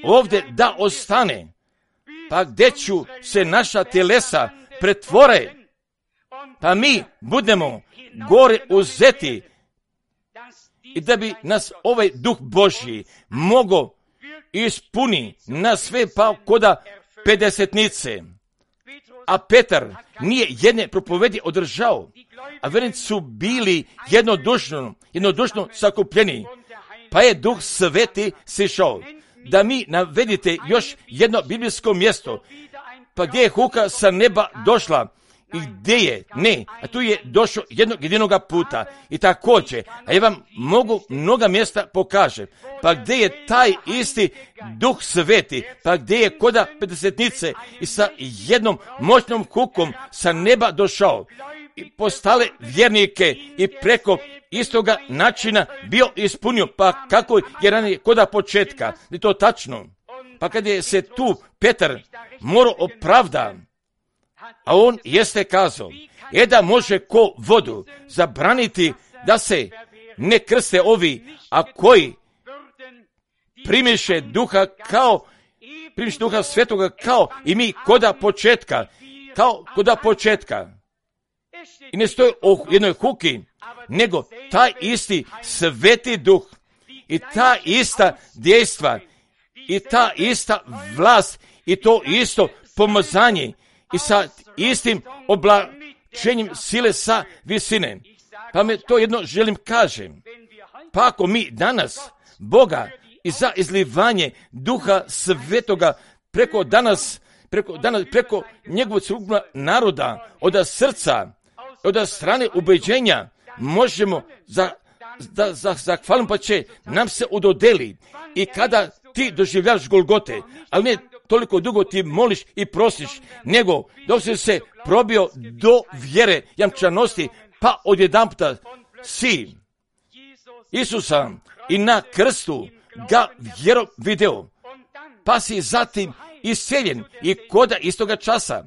ovdje da ostane, pa gdje ću se naša telesa pretvore, pa mi budemo gore uzeti i da bi nas ovaj Duh Božji mogo ispuni na sve pa koda pedesetnice. A Petar nije jedne propovedi održao, a vernici su bili jednodušno sakupljeni, pa je Duh Sveti sišao. Da mi navedite još jedno biblijsko mjesto, pa gdje je huka sa neba došla i gdje je, ne, a tu je došao jednog jedinoga puta i također, a ja vam mogu mnoga mjesta pokažem, pa gdje je taj isti Duh Sveti, pa gdje je koda pedesetnice i sa jednom moćnom hukom sa neba došao i postale vjernike i preko istoga načina bio ispunio, pa kako je ranije koda početka, je to tačno. Pa kad je se tu Petar morao opravda, a on jeste kazao, da može ko vodu zabraniti da se ne krste ovi, a koji primiše Duha Svetoga kao i mi koda početka. I ne stoji o jednoj huki, nego taj isti Sveti Duh i ta ista dejstva i ta ista vlast i to isto pomazanje i sa istim oblačenjem sile sa visine. Pa me to jedno želim kažem. Pa ako mi danas Boga i za izlivanje Duha Svetoga preko njegovog celokupnog naroda, od srca, od strane ubeđenja, možemo zahvaliti, pa će nam se udodeli. I kada ti doživljaš Golgote, ali ne toliko dugo ti moliš i prosiš, nego dok si se probio do vjere jamčanosti, pa odjedanputa si Isusa i na krstu ga vjerom video, pa si zatim iseljen i koda istoga časa,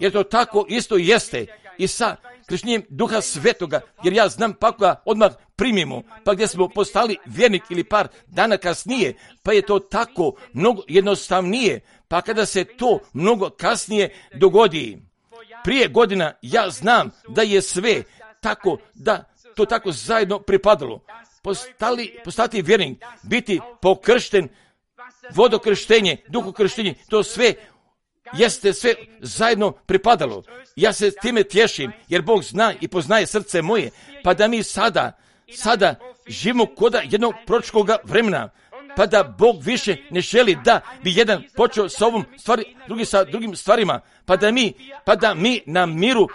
jer to tako isto jeste i sa krštenjem Duha Svetoga, jer ja znam pa ga odmah primimo, pa gdje smo postali vjernik ili par dana kasnije, pa je to tako mnogo jednostavnije, pa kada se to mnogo kasnije dogodi. Prije godina ja znam da je sve tako, da to tako zajedno pripadalo. Postati vjernik, biti pokršten, vodokrštenje, duhokrštenje, to sve jeste sve zajedno pripadalo. Ja se time tješim, jer Bog zna i poznaje srce moje, pa da mi sada živimo koda jednog proročkoga vremena, pa da Bog više ne želi da bi jedan počeo sa ovom stvari, drugi sa drugim stvarima, pa da mi na miru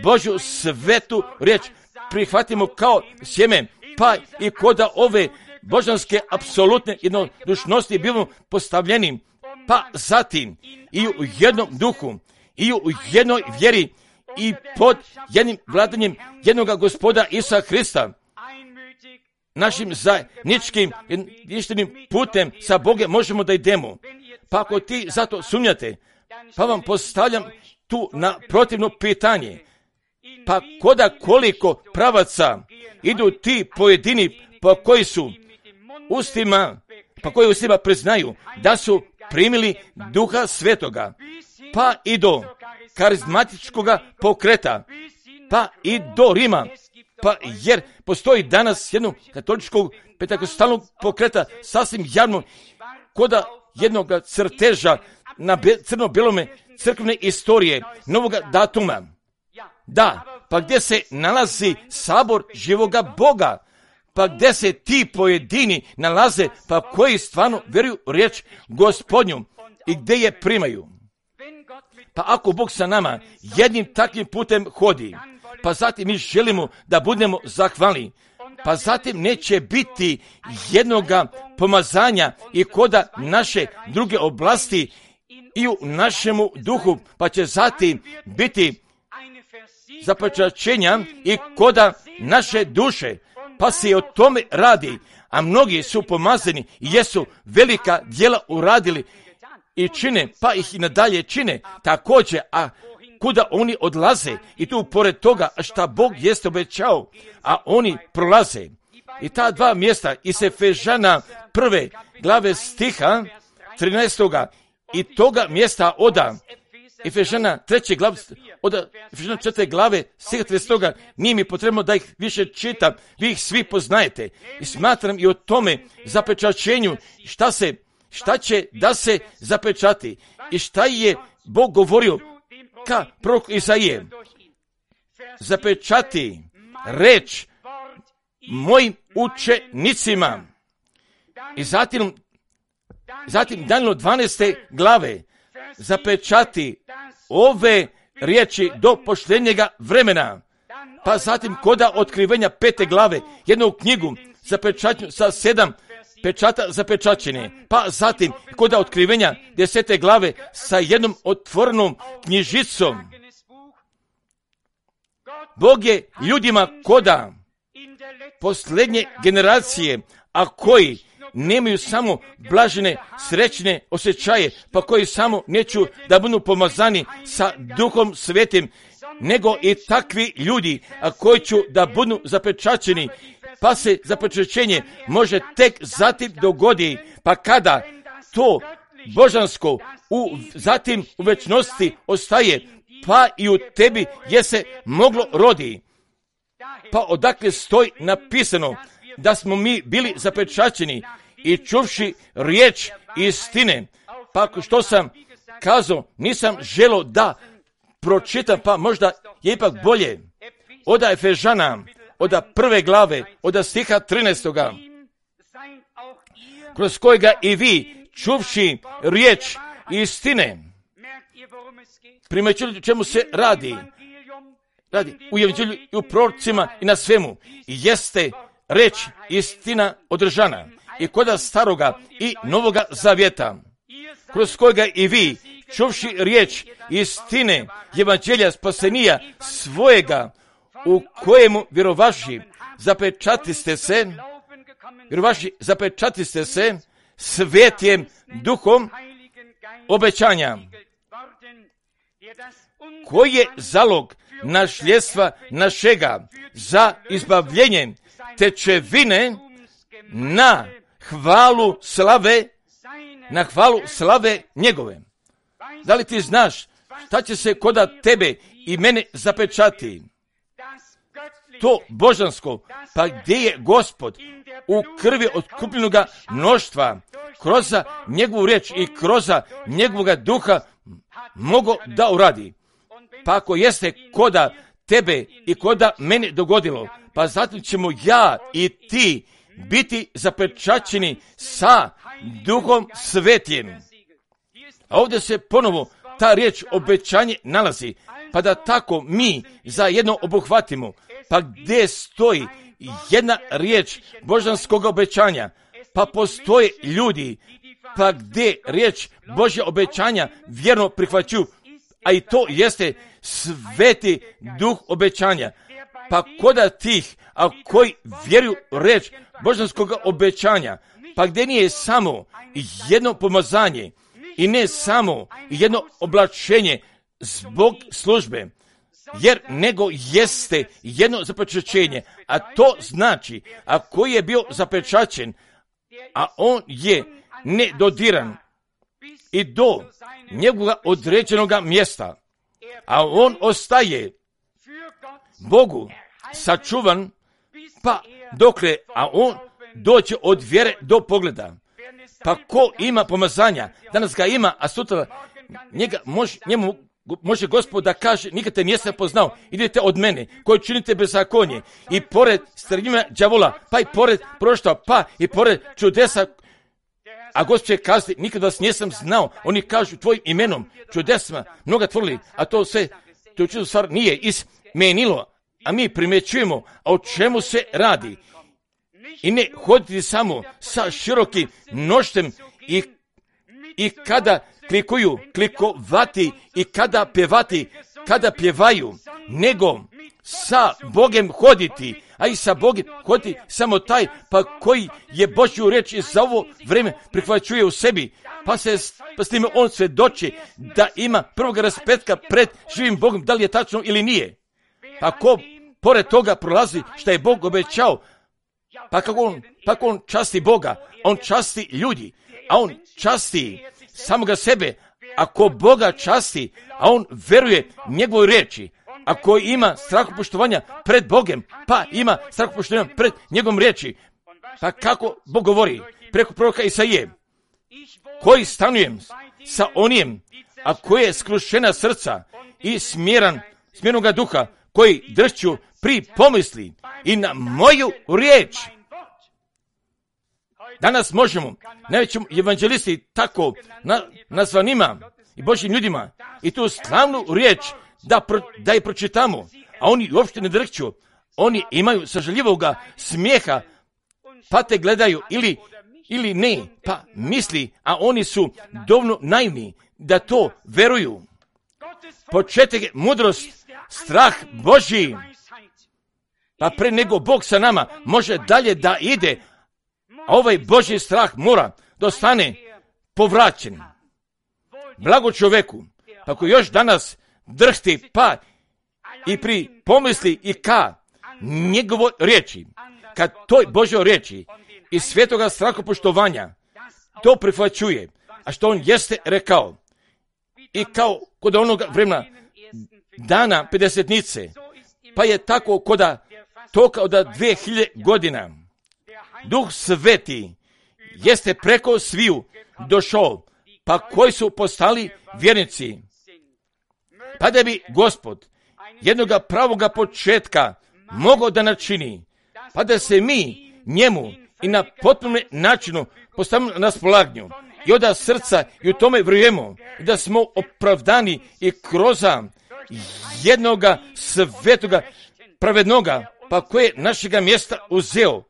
Božju svetu riječ prihvatimo kao sjeme, pa i koda ove božanske apsolutne jednodušnosti bivamo postavljeni, pa zatim i u jednom duhu, i u jednoj vjeri, i pod jednim vladanjem jednoga Gospoda Isusa Hrista, našim zajedničkim jedinstvenim putem sa Bogom možemo da idemo. Pa ako ti zato sumnjate, pa vam postavljam tu na protivno pitanje, pa koliko pravaca idu ti pojedini koji ustima priznaju da su primili Duha Svetoga, pa i do karizmatičkoga pokreta, pa i do Rima, pa jer postoji danas jednog katoličkog pentekostalnog pokreta sasvim javno koda jednog crteža na crno-belome crkvene istorije novoga datuma. Da, pa gdje se nalazi sabor živoga Boga, pa gdje se ti pojedini nalaze, pa koji stvarno vjeruju riječ Gospodnju i gdje je primaju. Pa ako Bog sa nama jednim takvim putem hodi, pa zatim mi želimo da budemo zahvalni, pa zatim neće biti jednoga pomazanja i koda naše druge oblasti i u našemu duhu, pa će zatim biti zapečaćenja i koda naše duše, pa se o tome radi, a mnogi su pomazani i jesu velika djela uradili i čine, pa ih i nadalje čine također, a kuda oni odlaze i tu pored toga šta Bog jeste obećao, a oni prolaze. I ta dva mjesta iz Efežana 1. glave stiha 13. i toga mjesta oda Efežana 3. glave, od Efežana 4. glave stiha 30. nije mi potrebno da ih više čitam, vi ih svi poznajete i smatram i o tome zapečaćenju šta će da se zapečati i šta je Bog govorio ka prorok Isaije. Zapečati reč mojim učenicima. I zatim Danilo 12. glave zapečati ove riječi do poštenjega vremena. Pa zatim koda otkrivenja 5. glave jednu knjigu zapečaćenu sa 7 pečata zapečaćene. Pa zatim koda otkrivenja 10. glave sa jednom otvorenom knjižicom. Bog je ljudima koda posljednje generacije, a koji nemaju samo blažene, srećne osjećaje, pa koji samo neću da budu pomazani sa Duhom Svetim, nego i takvi ljudi, a koji ću da budu zapečaćeni, pa se zapečaćenje može tek zatim dogodi, pa kada to božansko zatim u večnosti ostaje, pa i u tebi je se moglo rodi. Pa odakle stoji napisano da smo mi bili zapečaćeni i čuvši riječ istine. Pa što sam kazao, nisam želio da pročitam, pa možda je ipak bolje. Oda Efežana, oda 1. glave, oda stiha 13. kroz kojega i vi čuvši riječ istine. Primećujete čemu se radi u evanđelju i u prorocima i na svemu. Jeste reč istina održana i koda staroga i novoga zavjeta, kroz kojega i vi čuvši riječ istine evanđelja spasenija svojega, u kojemu vjerovaši zapečatiste se svetjem duhom obećanja, koji je zalog nasljedstva našega za izbavljenje tečevine na hvalu slave njegove. Da li ti znaš šta će se koda tebe i mene zapečati? To božansko, pa gdje je Gospod u krvi otkupljenoga mnoštva, kroz njegovu riječ i kroz njegovoga duha mogo da uradi. Pa ako jeste koda tebe i koda mene dogodilo, pa zatim ćemo ja i ti biti zapečaćeni sa Duhom Svetim. A ovdje se ponovo ta riječ obećanje nalazi, pa da tako mi zajedno obuhvatimo, pa gdje stoji jedna riječ božanskog obećanja, pa postoje ljudi, pa gdje riječ Božja obećanja vjerno prihvaćuju, a i to jeste Sveti Duh obećanja. Pa koda tih, a koji vjeruju riječ božanskog obećanja, pa gdje nije samo jedno pomazanje i ne samo jedno oblačenje zbog službe, jer nego jeste jedno zapečaćenje, a to znači, a koji je bio zapečaćen, a on je nedodiran i do njegovog određenog mjesta, a on ostaje Bogu sačuvan, pa dokle, a on doće od vjere do pogleda. Pa ko ima pomazanja, danas ga ima, a sutra njemu može Gospod da kaže, nikad te nisam poznao, idete od mene, koji činite bezakonje, i pored strnjima đavola, pa i pored proštva, pa i pored čudesa, a Gospod će kazati, nikad vas nisam znao, oni kažu tvojim imenom, čudesima, mnoga tvrli, a to sve, to čudo stvar nije izmenilo, a mi primjećujemo, a o čemu se radi. I ne hoditi samo sa širokim noštem i kada klikovati i kada pjevaju, nego sa Bogem hoditi, a i sa Bogem hoditi samo taj, pa koji je Božju riječ i za ovo vrijeme prihvaćuje u sebi, pa s time on svjedoči da ima prvog raspetka pred živim Bogom, da li je tačno ili nije. Pa ko pored toga prolazi što je Bog obećao, pa kako on časti Boga, on časti ljudi, a on časti samoga sebe. Ako Boga časti, a on veruje njegovoj riječi, ako ima strahopoštovanja pred Bogem, pa ima strahopoštovanja pred njegovom riječi, pa kako Bog govori preko proroka Isaije, koji stanujem sa onijem, a koji je skrušena srca i smjernoga duha, koji dršću pri pomisli i na moju riječ. Danas možemo najvećim evanđelisti tako nazvanima i Božjim ljudima i tu slavnu riječ da je pročitamo, a oni uopšte ne drhću, oni imaju sažaljivoga smijeha, pa te gledaju ili ne, pa misli, a oni su dovoljno naivni da to veruju. Početak je mudrost, strah Božji, pa pre nego Bog sa nama može dalje da ide, a ovaj Božji strah mora da ostane povraćen. Blago čovjeku, ako još danas drhti pa i pri pomisli i ka njegovoj riječi, kad toj Božjoj riječi i svetoga strahopoštovanja to prihvaćuje, a što on jeste rekao, i kao kod onoga vremena dana pedesetnice, pa je tako koda toka od 2000 godina. Duh Sveti jeste preko sviju došao, pa koji su postali vjernici. Pa da bi Gospod jednoga pravoga početka mogao da načini, pa da se mi njemu i na potpunom načinu postavimo na raspolaganju i od srca i u tome vjerujemo da smo opravdani i kroz jednoga svetoga pravednoga, pa koje našega mjesta uzeo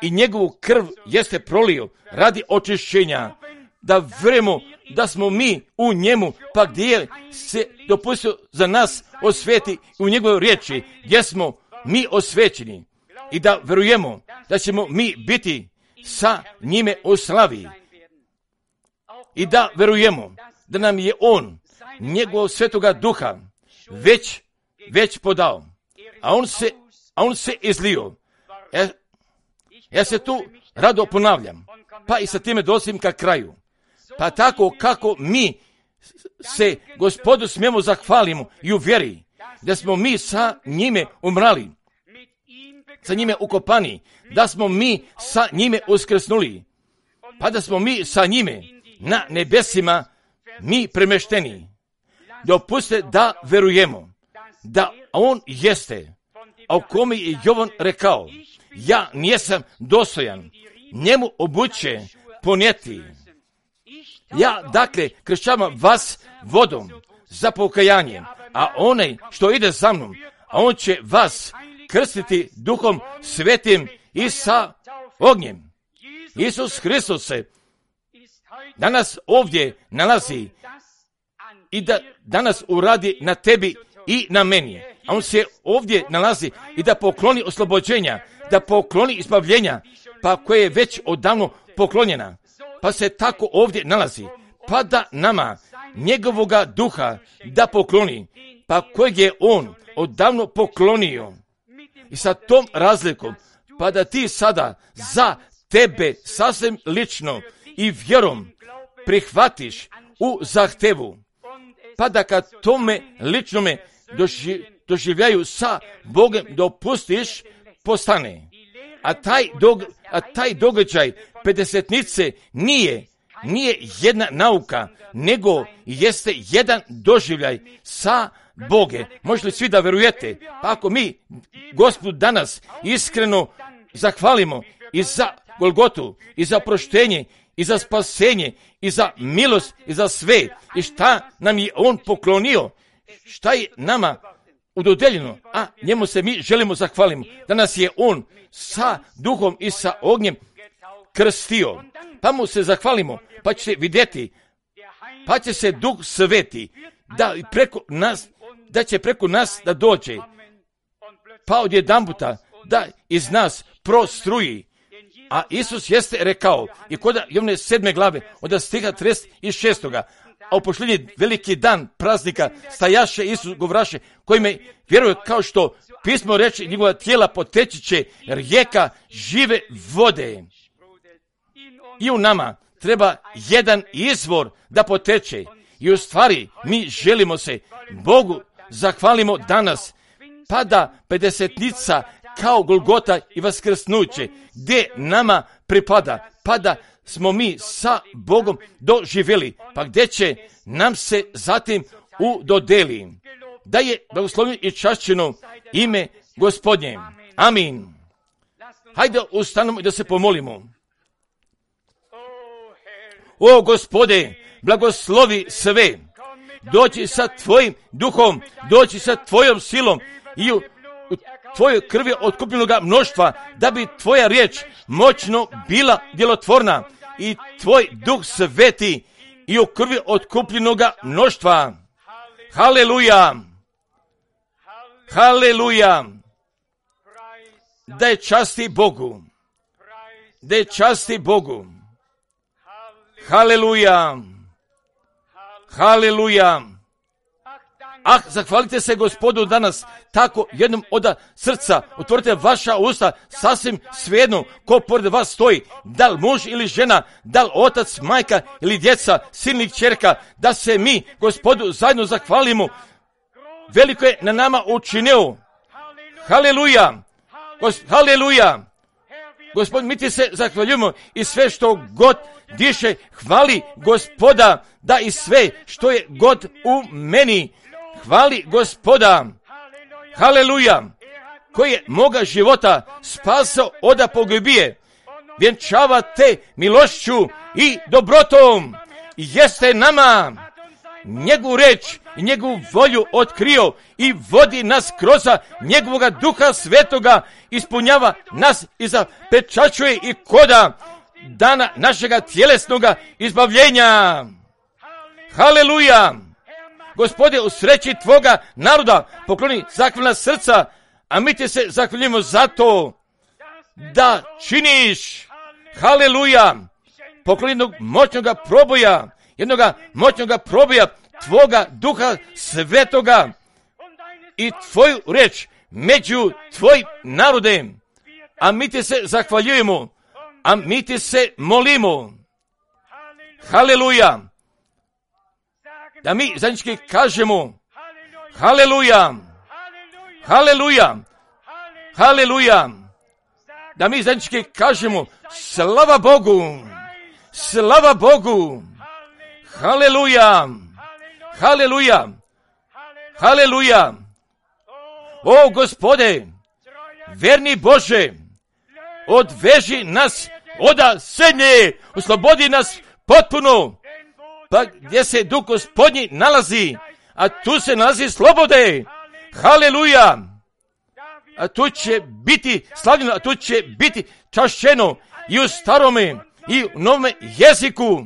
i njegovu krv jeste prolio radi očišćenja, da vjerujemo da smo mi u njemu, pa gdje se dopustio za nas osveti u njegovoj riječi, gdje smo mi osvećeni, i da vjerujemo da ćemo mi biti sa njime u slavi, i da vjerujemo da nam je on njegovog svetoga duha već podao, a on se izlio. Ja se tu rado ponavljam, pa i sa time dolazim ka kraju. Pa tako kako mi se Gospodu smijemo zahvalimo i u vjeri, da smo mi sa njime umrali, sa njime ukopani, da smo mi sa njime uskrsnuli, pa da smo mi sa njime na nebesima mi premešteni. Dopustite da verujemo da on jeste a u kome je Jovan rekao, ja nijesam dostojan njemu obuće ponijeti. Ja, dakle, kršćavam vas vodom za pokajanje, a onaj što ide za mnom, a on će vas krstiti Duhom Svetim i sa ognjem. Isus Hristos se danas ovdje nalazi i da danas uradi na tebi i na meni. A on se ovdje nalazi i da pokloni oslobođenja, da pokloni izbavljenja, pa koje je već odavno poklonjena. Pa se tako ovdje nalazi, pa da nama njegovoga duha da pokloni, pa kojeg je on odavno poklonio. I sa tom razlikom, pa da ti sada za tebe sasvim lično i vjerom prihvatiš u zahtevu, pa da kad tome ličnome doživljaju sa Bogom dopustiš postane. A taj događaj pedesetnice nije jedna nauka, nego jeste jedan doživljaj sa Boge. Možete li svi da verujete? Pa ako mi Gospodu danas iskreno zahvalimo i za Golgotu, i za proštenje, i za spasenje, i za milost, i za sve, i šta nam je on poklonio, šta je nama udodeljeno, a njemu se mi želimo zahvalimo. Danas je on sa duhom i sa ognjem krstio, pa mu se zahvalimo, pa će vidjeti, pa će se Duh Sveti da će preko nas da dođe, pa odjedanputa da iz nas prostruji. A Isus jeste rekao, i kod Jovane 7. glave, od stiha 36. A u posljednji veliki dan praznika stajaše Isus govraše, koji me vjeruje kao što pismo reče, njegova tijela poteći će rijeka žive vode. I u nama treba jedan izvor da poteče. I u stvari mi želimo se Bogu zahvalimo danas, pa da pedesetnica kao Golgota i vaskrsnuće, gdje nama pripada, pa da smo mi sa Bogom doživjeli, pa gdje će nam se zatim udodeli. Da je blagoslovljeno i čašćeno ime Gospodnje. Amin. Hajde ustanemo i da se pomolimo. O Gospode, blagoslovi sve. Doći sa tvojim duhom, doći sa tvojom silom i u tvojoj krvi otkupljenoga mnoštva, da bi tvoja riječ moćno bila djelotvorna i tvoj Duh Sveti i u krvi otkupljenoga mnoštva. Haleluja! Haleluja! Da je časti Bogu! Da je časti Bogu! Haleluja! Haleluja! Ah, zahvalite se Gospodu danas tako jednom od srca. Otvorite vaša usta, sasvim svejedno ko pored vas stoji, da li muž ili žena, da li otac, majka ili djeca, sin ili kćerka, da se mi Gospodu zajedno zahvalimo. Veliko je na nama učinio. Haleluja! Haleluja! Gospod, mi ti se zahvaljujemo i sve što god diše, hvali Gospoda, da i sve što je god u meni, hvali Gospoda. Haleluja! Koji je moga života spasao od pogibije, vjenčava te milošću i dobrotom, i jeste nama njegovu reč i njegovu volju otkrio i vodi nas kroz njegovoga Duha Svetoga, ispunjava nas i zapečačuje i koda dana našega tjelesnoga izbavljenja. Haleluja! Gospode, u sreći tvoga naroda pokloni zahvalna srca, a mi ti se zahvaljujemo za to da činiš. Haleluja! Pokloni jednog moćnoga proboja tvoga Duha Svetoga i tvoju reč među tvojim narodem. A mi ti se zahvaljujemo, a mi ti se molimo. Haleluja! Da mi zajednički kažemo haleluja, haleluja, haleluja. Da mi zajednički kažemo slava Bogu, slava Bogu, haleluja, haleluja, haleluja. O Gospode, verni Bože, odveži nas oda srednje, oslobodi nas potpuno, pa gdje se Duh Gospodnji nalazi, a tu se nalazi slobode. Haleluja! A tu će biti slavljeno, a tu će biti čašćeno i u starome i u novome jeziku,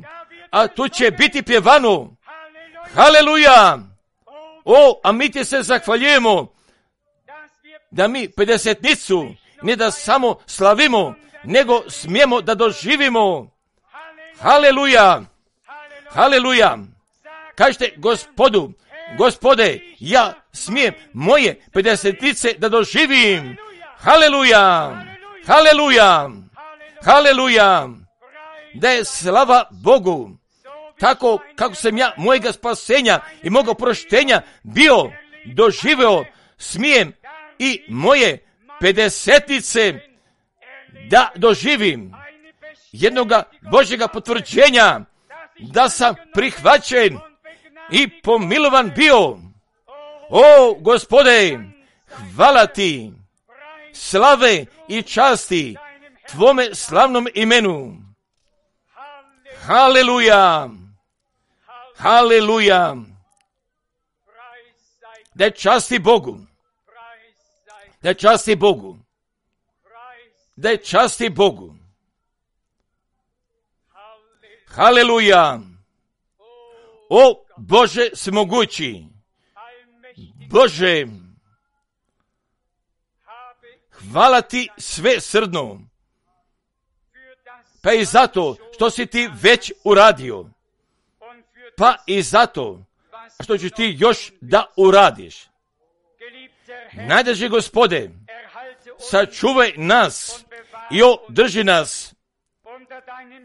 a tu će biti pjevano. Haleluja! O, a mi ti se zahvaljujemo da mi 50-nicu ne da samo slavimo, nego smijemo da doživimo. Haleluja! Haleluja! Kažete Gospodu, Gospode, ja smijem moje 50-nice da doživim. Haleluja! Haleluja! Haleluja! Da je slava Bogu. Tako kako sam ja mojega spasenja i moga oproštenja bio doživio, smijem i moje 50-nice da doživim. Jednoga Božjega potvrđenja da sam prihvaćen i pomilovan bio. O, Gospode, hvala ti, slave i časti tvome slavnom imenu. Haleluja! Haleluja! Da časti Bogu. Da časti Bogu. Da časti Bogu. Haleluja! O Bože svemogući, Bože, hvala ti sve srdno, pa i zato što si ti već uradio, pa i zato što ćeš ti još da uradiš. Najdraži Gospode, sačuvaj nas i održi nas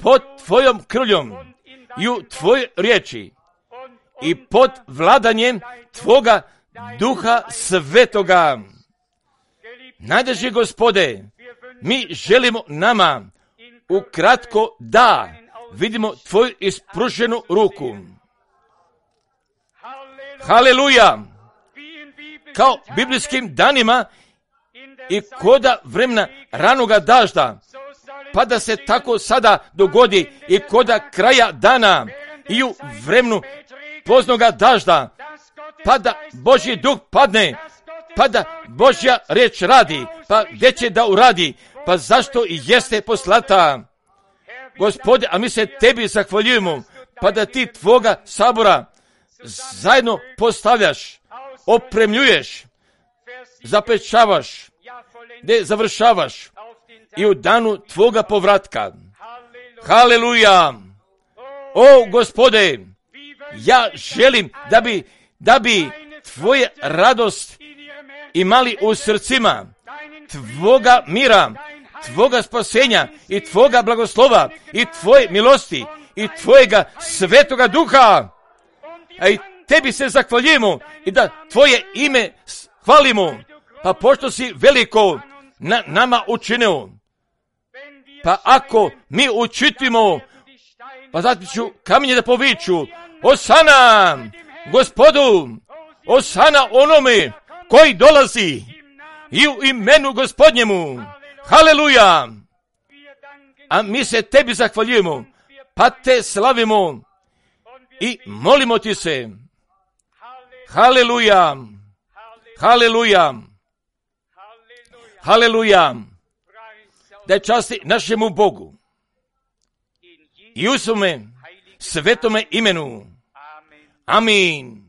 pod tvojom krvljom i u tvojoj riječi i pod vladanjem tvoga Duha Svetoga. Najdraži Gospode, mi želimo nama ukratko da vidimo tvoju ispruženu ruku. Haleluja! Kao biblijskim danima i koda vremena ranoga dažda, pa da se tako sada dogodi i koda kraja dana i u vremenu poznoga dažda, pa da Božji duh padne, pa da Božja riječ radi, pa gdje će da uradi, pa zašto i jeste poslata. Gospode, a mi se tebi zahvaljujemo, pa da ti tvoga sabora zajedno postavljaš, opremljuješ, zapečavaš, gdje završavaš i u danu tvoga povratka. Haleluja! O Gospode, ja želim da bi tvoje radost imali u srcima, tvoga mira, tvoga spasenja i tvoga blagoslova i tvoje milosti i tvojega svetoga duha. A i tebi se zahvaljujemo i da tvoje ime hvalimo, pa pošto si veliko na nama učinio. Pa ako mi učitimo, pa zatim ću kamenje da poviču, Osana Gospodu, Osana onome koji dolazi i u imenu Gospodnjemu. Haleluja! A mi se tebi zahvaljujemo, pa te slavimo i molimo ti se. Haleluja! Haleluja! Haleluja! Da časti našemu Bogu i u svome svetome imenu. Amin.